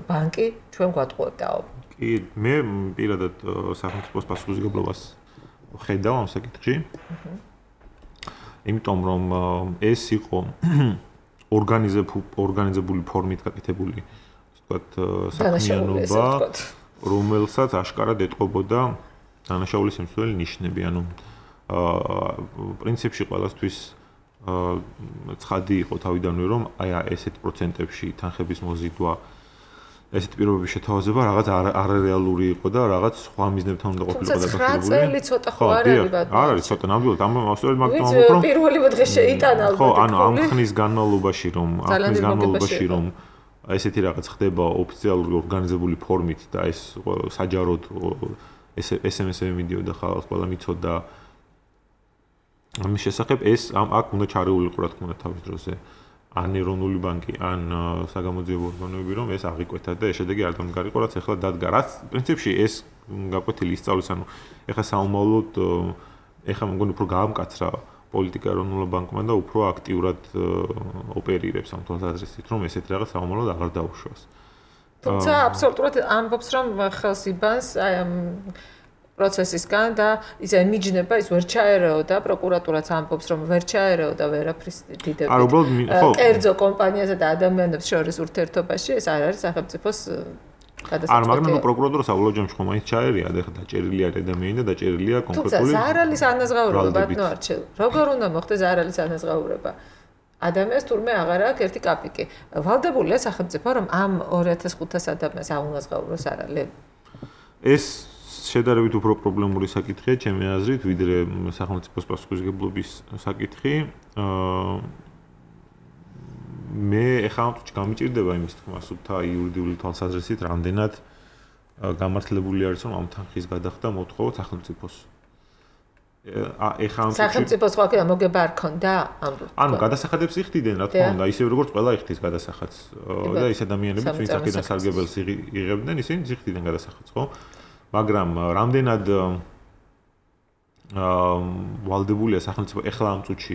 ბანკი ჩვენ გვატყუებდაო. კი, მე პირადად სახელმწიფოს პასუხისმგებლობას ხედავ ამ საკითხში. იმიტომ რომ ეს იყო ორგანიზებული ფორმით გაკეთებული, ვთქვათ, საქმიანობა, რომელსაც აშკარად ეტყობოდა დანაშაულის შემცველი ნიშნები, ანუ პრინციპში ყველასთვის ცხადი იყო თავიდანვე რომ აი ესეთ პროცენტებში თანხების მოზიდვა ესეთ პირობების შეთავაზება რაღაც არარეალური იყო და რაღაც სხვა მიზნებთან უნდა ყოფილიყო დაკავშირებული. თუმცა წელი ცოტა ხო არ არის ბატონო. არ არის ცოტა ნამდვილად ამ ავსტრალiyად მაგიტომ ამბობ რომ პირველი დღე შეიტანა ალბათ. ხო, ანუ ამ ხნის განმავლობაში რომ ამ ხნის განმავლობაში რომ ესეთი რაღაც ხდება ოფიციალური ორგანიზებული ფორმით და ეს საჯაროდ ეს ეს em es-ები მიდიოდა ხალხს ყველა მიცოდა ამის შესახებ ეს ამ აქ უნდა ჩარეულიყო რა თქმა უნდა თავის დროზე. ან ეროვნული ბანკი, ან საგამოძიებო ორგანოები, რომ ეს აღიკვეთა და ეს შედეგი არ დამდგარიყო, რაც ახლა დადგა. რაც პრინციპში ეს გაკვეთილი ისწავლის, ანუ ეხლა საომავლოდ ეხლა მგონი უფრო გაამკაცრა პოლიტიკა ეროვნულ ბანკმა და უფრო აქტიურად ოპერირებს ამ თვალსაზრისით, რომ ესეთ რაღაც საომავლოდ აღარ დაუშვას. თუმცა აბსოლუტურად ამბობს, რომ ხელს იბანს აი ამ პროცესისგან და ის ემიჯნება ის ვერ ჩაერეოდა პროკურატურაც ამბობს რომ ვერ ჩაერეოდა ვერაფრის დიდებით. არ უბრალოდ ხო კერძო კომპანიასა და ადამიანებს შორის ურთიერთობაში ეს არ არის სახელმწიფოს გადასაწყვეტი. არ მაგრამ ნუ პროკურატურა საბოლოო ჯამში ხომ მაინც ჩაერია და ეხლა დაჭერილია ადამიანი და დაჭერილია კონკრეტული თუმცა ზარალის ანაზღაურება ბატონო არჩილ. როგორ უნდა მოხდეს ზარალის ანაზღაურება? ადამიანს თურმე აღარ აქვს ერთი კაპიკი. ვალდებულია სახელმწიფო რომ ამ ორი ათას ხუთას ადამიანს აუნაზღაუროს არალე. ეს შედარებით უფრო პრობლემური საკითხია ჩემი აზრით, ვიდრე სახელმწიფოს პასუხისმგებლობის საკითხი. აა მე ეხლა გამიჭირდება იმის თქმა, სულთა იურიდიული თვალსაზრისით, რამდენად გამართლებული არის რომ ამ თანხის გადახდა მოთხოვოთ სახელმწიფოს. ეხლა ამ სახელმწიფოს ხო აქ მოგება არ ქონდა ამ ანუ გადასახადებს იხდიდნენ რა თქმა უნდა, ისე როგორც ყველა იხდის გადასახადს და ის ადამიანები ვინც აქედან სარგებელს იღებდნენ, ისინი იხდიდნენ გადასახადს, ხო? მაგრამ რამდენად აა ვალდებულია სახელმწიფო ეხლა ამ წუთში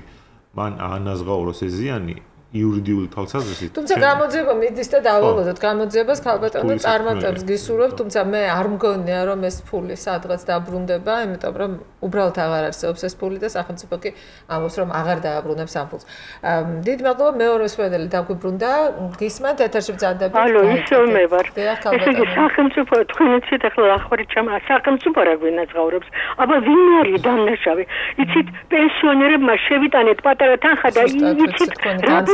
მან აანაზღაუროს ეს ზიანი იურიდიული თვალსაზრისით. თუმცა გამოძიება მიდის და დავალოდოთ გამოძიებას ქალბატონო წარმატებს გისურვებ, თუმცა მე არ მგონია რომ ეს ფული სადღაც დაბრუნდება, იმიტომ რომ უბრალოდ აღარ არსებობს ეს ფული და სახელმწიფო კი ამბობს რომ აღარ დააბრუნებს ამ ფულს. დიდ მადლობა მეორე მსმენელი დაგვიბრუნდა, გისმენთ ეთერში ბრძანდებით. ალო, ისევ მე ვარ. ესე იგი სახელმწიფო თქვენიცით ახლა ახварით ჩამ სახელმწიფო რა გვინაზღაურებს. აბა ვინ არის დამნაშავე? იცით პენსიონერებმა შევიტანეთ პატარა თანხა და იცით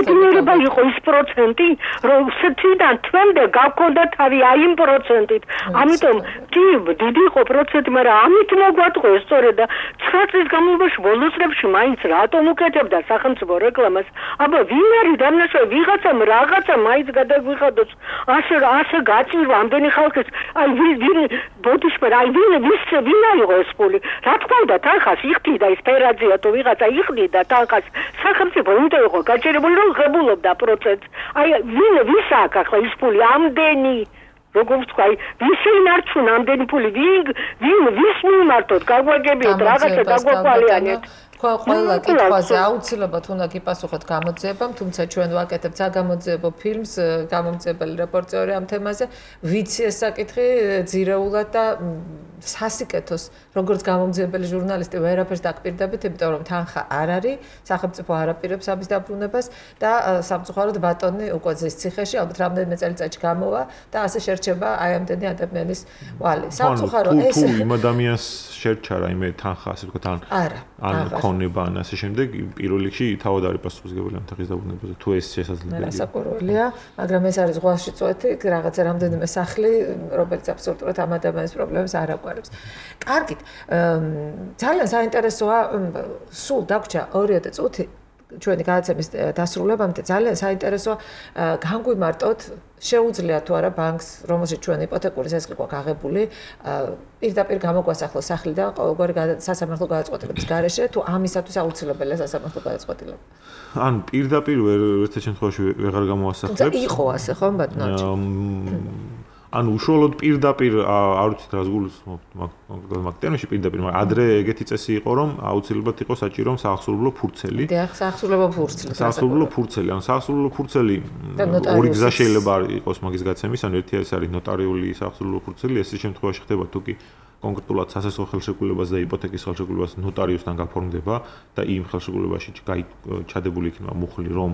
რა იყო ის პროცენტი, რომ სეთიდან თვემდე გავქონდა თავი აი იმ პროცენტით. ამიტომ კი დიდი იყო პროცენტი, მაგრამ ამით მოგვატყო ეს სწორედ და ცხრა წლის განმავლობაში ბოლოს წლებში მაინც რატომ უკეთებდა სახელმწიფო რეკლამას? აბა ვინ არის დამნაშავე? ვიღაცამ რაღაცა მაინც გადაგვიხადოს. ასე ასე გაწირვა ამდენი ხალხის. აი ვინ ბოდიშმენ, აი ვინ ვის ვინ აიღო ეს ფული? რა თქმა უნდა თანხას იხდიდა ის ფერაძია თუ ვიღაცა იხდიდა თანხას. სახელმწიფო უნდა იყო გაჭირებული რომ ღებულობდა პროცესს. აი ვინ ვის აქვს ახლა ის ფული ამდენი? როგორც თქვა, ვის ინარჩუნა ამდენი ფული? ვინ ვინ ვის მიმართოთ? გაგვაგებიოთ რაღაცა გაგვაკვალიანეთ. ყველა კითხვაზე აუცილებლად უნდა გიპასუხოთ გამოძიებამ, თუმცა ჩვენ ვაკეთებთ საგამოძიებო ფილმს, გამომძიებელი რეპორტიორი ამ თემაზე, ვიცი ეს საკითხი ძირეულად და სასიკეთოს, როგორც გამომძიებელი ჟურნალისტი ვერაფერს დაგპირდებით, იმიტომ რომ თანხა არ არის, სახელმწიფო არ აპირებს ამის დაბრუნებას და სამწუხაროდ ბატონი უკვე ზის ციხეში, ალბათ რამდენიმე წელიწადში გამოვა და ასე შერჩება აი ამდენი ადამიანის ვალი. სამწუხაროდ ეს თუ იმ ადამიანს შერჩა რაიმე თანხა, ასე ვთქვათ, ან არა, ან ქონება ან ასე შემდეგ, პირველ რიგში თავად არის პასუხისმგებელი ამ თანხის დაბრუნებაზე, თუ ეს შესაძლებელია. რასაკვირველია, მაგრამ ეს არის ზღვაში წვეთი, რაღაცა რამდენიმე სახლი, რომელიც აბსოლუტურად ამ ადამიანის პრობლემებს არ აკვირავს. კარგით, ძალიან საინტერესოა, სულ დაგვრჩა ორიოდე წუთი ჩვენი გადაცემის დასრულებამდე, ძალიან საინტერესოა განგვიმარტოთ, შეუძლია თუ არა ბანკს, რომელშიც ჩვენ იპოთეკური ზესხი ყვა გაღებული, პირდაპირ გამოგვასახლოს სახლიდან ყოველგვარი სასამართლო გადაწყვეტილების გარეშე, თუ ამისათვის აუცილებელია სასამართლო გადაწყვეტილება. ან პირდაპირ ვერ ერთ შემთხვევაში ვეღარ გამოასახლებს. თუმცა იყო ასე ხომ ბატონო? ანუ უშუალოდ პირდაპირ არ ვიცით რა ზგულს მაგ ტერმინში პირდაპირ, მაგრამ ადრე ეგეთი წესი იყო, რომ აუცილებლად იყო საჭირო საახსოვლო ფურცელი. დიახ, საახსოვლო ფურცელი. საახსოვლო ფურცელი, ანუ საახსოვლო ფურცელი ორი გზა შეიძლება იყოს მაგის გაცემის, ანუ ერთი ეს არის ნოტარიული საახსოვლო ფურცელი, ეს შემთხვევაში ხდება თუ კი კონკრეტულად სასესხო ხელშეკრულებას და იპოთეკის ხელშეკრულებას ნოტარიუსთან გაფორმდება და იმ ხელშეკრულებაში ჩადებული იქნება მუხლი, რომ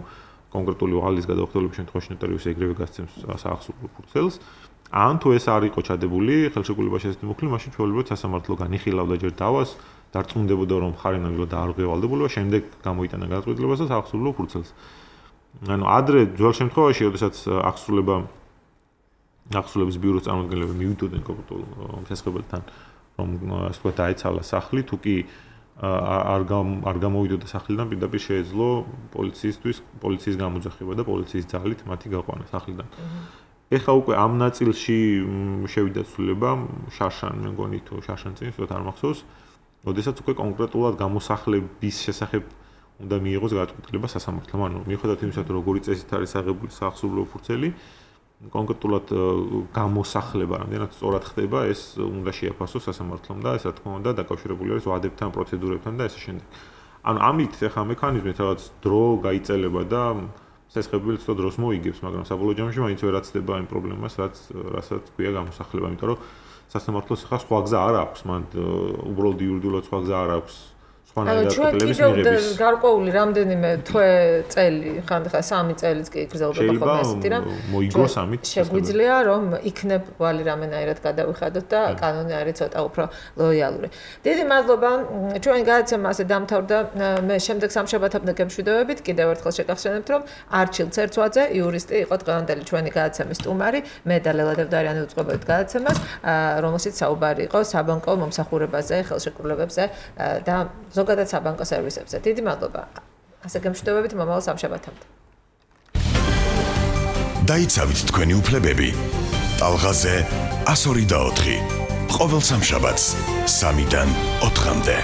კონკრეტული ვალის გადაუხდელობის შემთხვევაში ნოტარიუსი ეგრევე გასცემს საახსოვლო ფურცელს. ან თუ ეს არ იყო ჩადებული ხელშეკრულებაში ესეთი მუხლი, მაშინ ჩვეულებრივად სასამართლო განიხილავდა ჯერ დავას დარწმუნდებოდა რომ მხარი ნამდვილად დაარღვია ვალდებულება, შემდეგ გამოიტანა გადაწყვეტილებას და საახსოვლო ფურცელს. ანუ ადრე ძველ შემთხვევაში, როდესაც აღსრულება აღსრულების ბიუროს წარმომადგენლები მივიდოდნენ კონკრეტულ შესაძლებელთან, რომ ასე ვთქვათ დაეცალა სახლი, თუ კი არ არ გამოვიდოდა სახლიდან, პირდაპირ შეეძლო პოლიციისთვის, პოლიციის გამოძახება და პოლიციის ძალით მათი გაყვანა სახლიდან. ეხლა უკვე ამ ნაწილში შევიდა ცვლილება შარშან, მე მგონი თუ შარშან წინ ვთქვათ არ მახსოვს, როდესაც უკვე კონკრეტულად გამოსახლების შესახებ უნდა მიიღოს გადაწყვეტილება სასამართლომ. ანუ მიუხედავად იმისა, რომ როგორი წესით არის აღებული საახსოვლო ფურცელი, კონკრეტულად გამოსახლება რამდენად სწორად ხდება, ეს უნდა შეაფასოს სასამართლომ და ეს რა თქმა უნდა დაკავშირებული არის ვადებთან, პროცედურებთან და ასე შემდეგ. ანუ ამით ახლა მექანიზმით რაღაც დრო გაიწელება და შესაძლებელი ცოტა დროს მოიგებს, მაგრამ საბოლოო ჯამში მაინც ვერ აცდება იმ პრობლემას, რაც რასაც ქვია გამოსახლება, იმიტომ რომ სასამართლოს ახლა სხვა გზა არ აქვს, მან უბრალოდ იურიდიულად სხვა გზა არ აქვს. ანუ ჩვენ კიდევ გარკვეული რამდენიმე თვე წელი, ხანდახან სამი წელიც კი გრძელდება ხოლმე ასეთი რამ. მოიგოს ამით. შეგვიძლია რომ იქნებ ვალი რამენაირად გადავიხადოთ და კანონი არის ცოტა უფრო ლოიალური. დიდი მადლობა. ჩვენი გადაცემა ასე დამთავრდა. მე შემდეგ სამშაბათამდე გემშვიდობებით კიდევ ერთხელ შეგახსენებთ რომ არჩილ ცერცვაძე იურისტი იყო დღევანდელი ჩვენი გადაცემის სტუმარი. მე და ლელა დევდარიანი უწყობებით გადაცემას, რომელშიც საუბარი იყო საბანკო მომსახურებაზე, ხელშეკრულებებზე და ზოგადად საბანკო სერვისებზე. დიდი მადლობა. ასე გემშვიდობებით მომავალ სამშაბათამდე. დაიცავით თქვენი უფლებები. ტალღაზე ასორი და ოთხი. ყოველ სამშაბათს სამიდან ოთხამდე.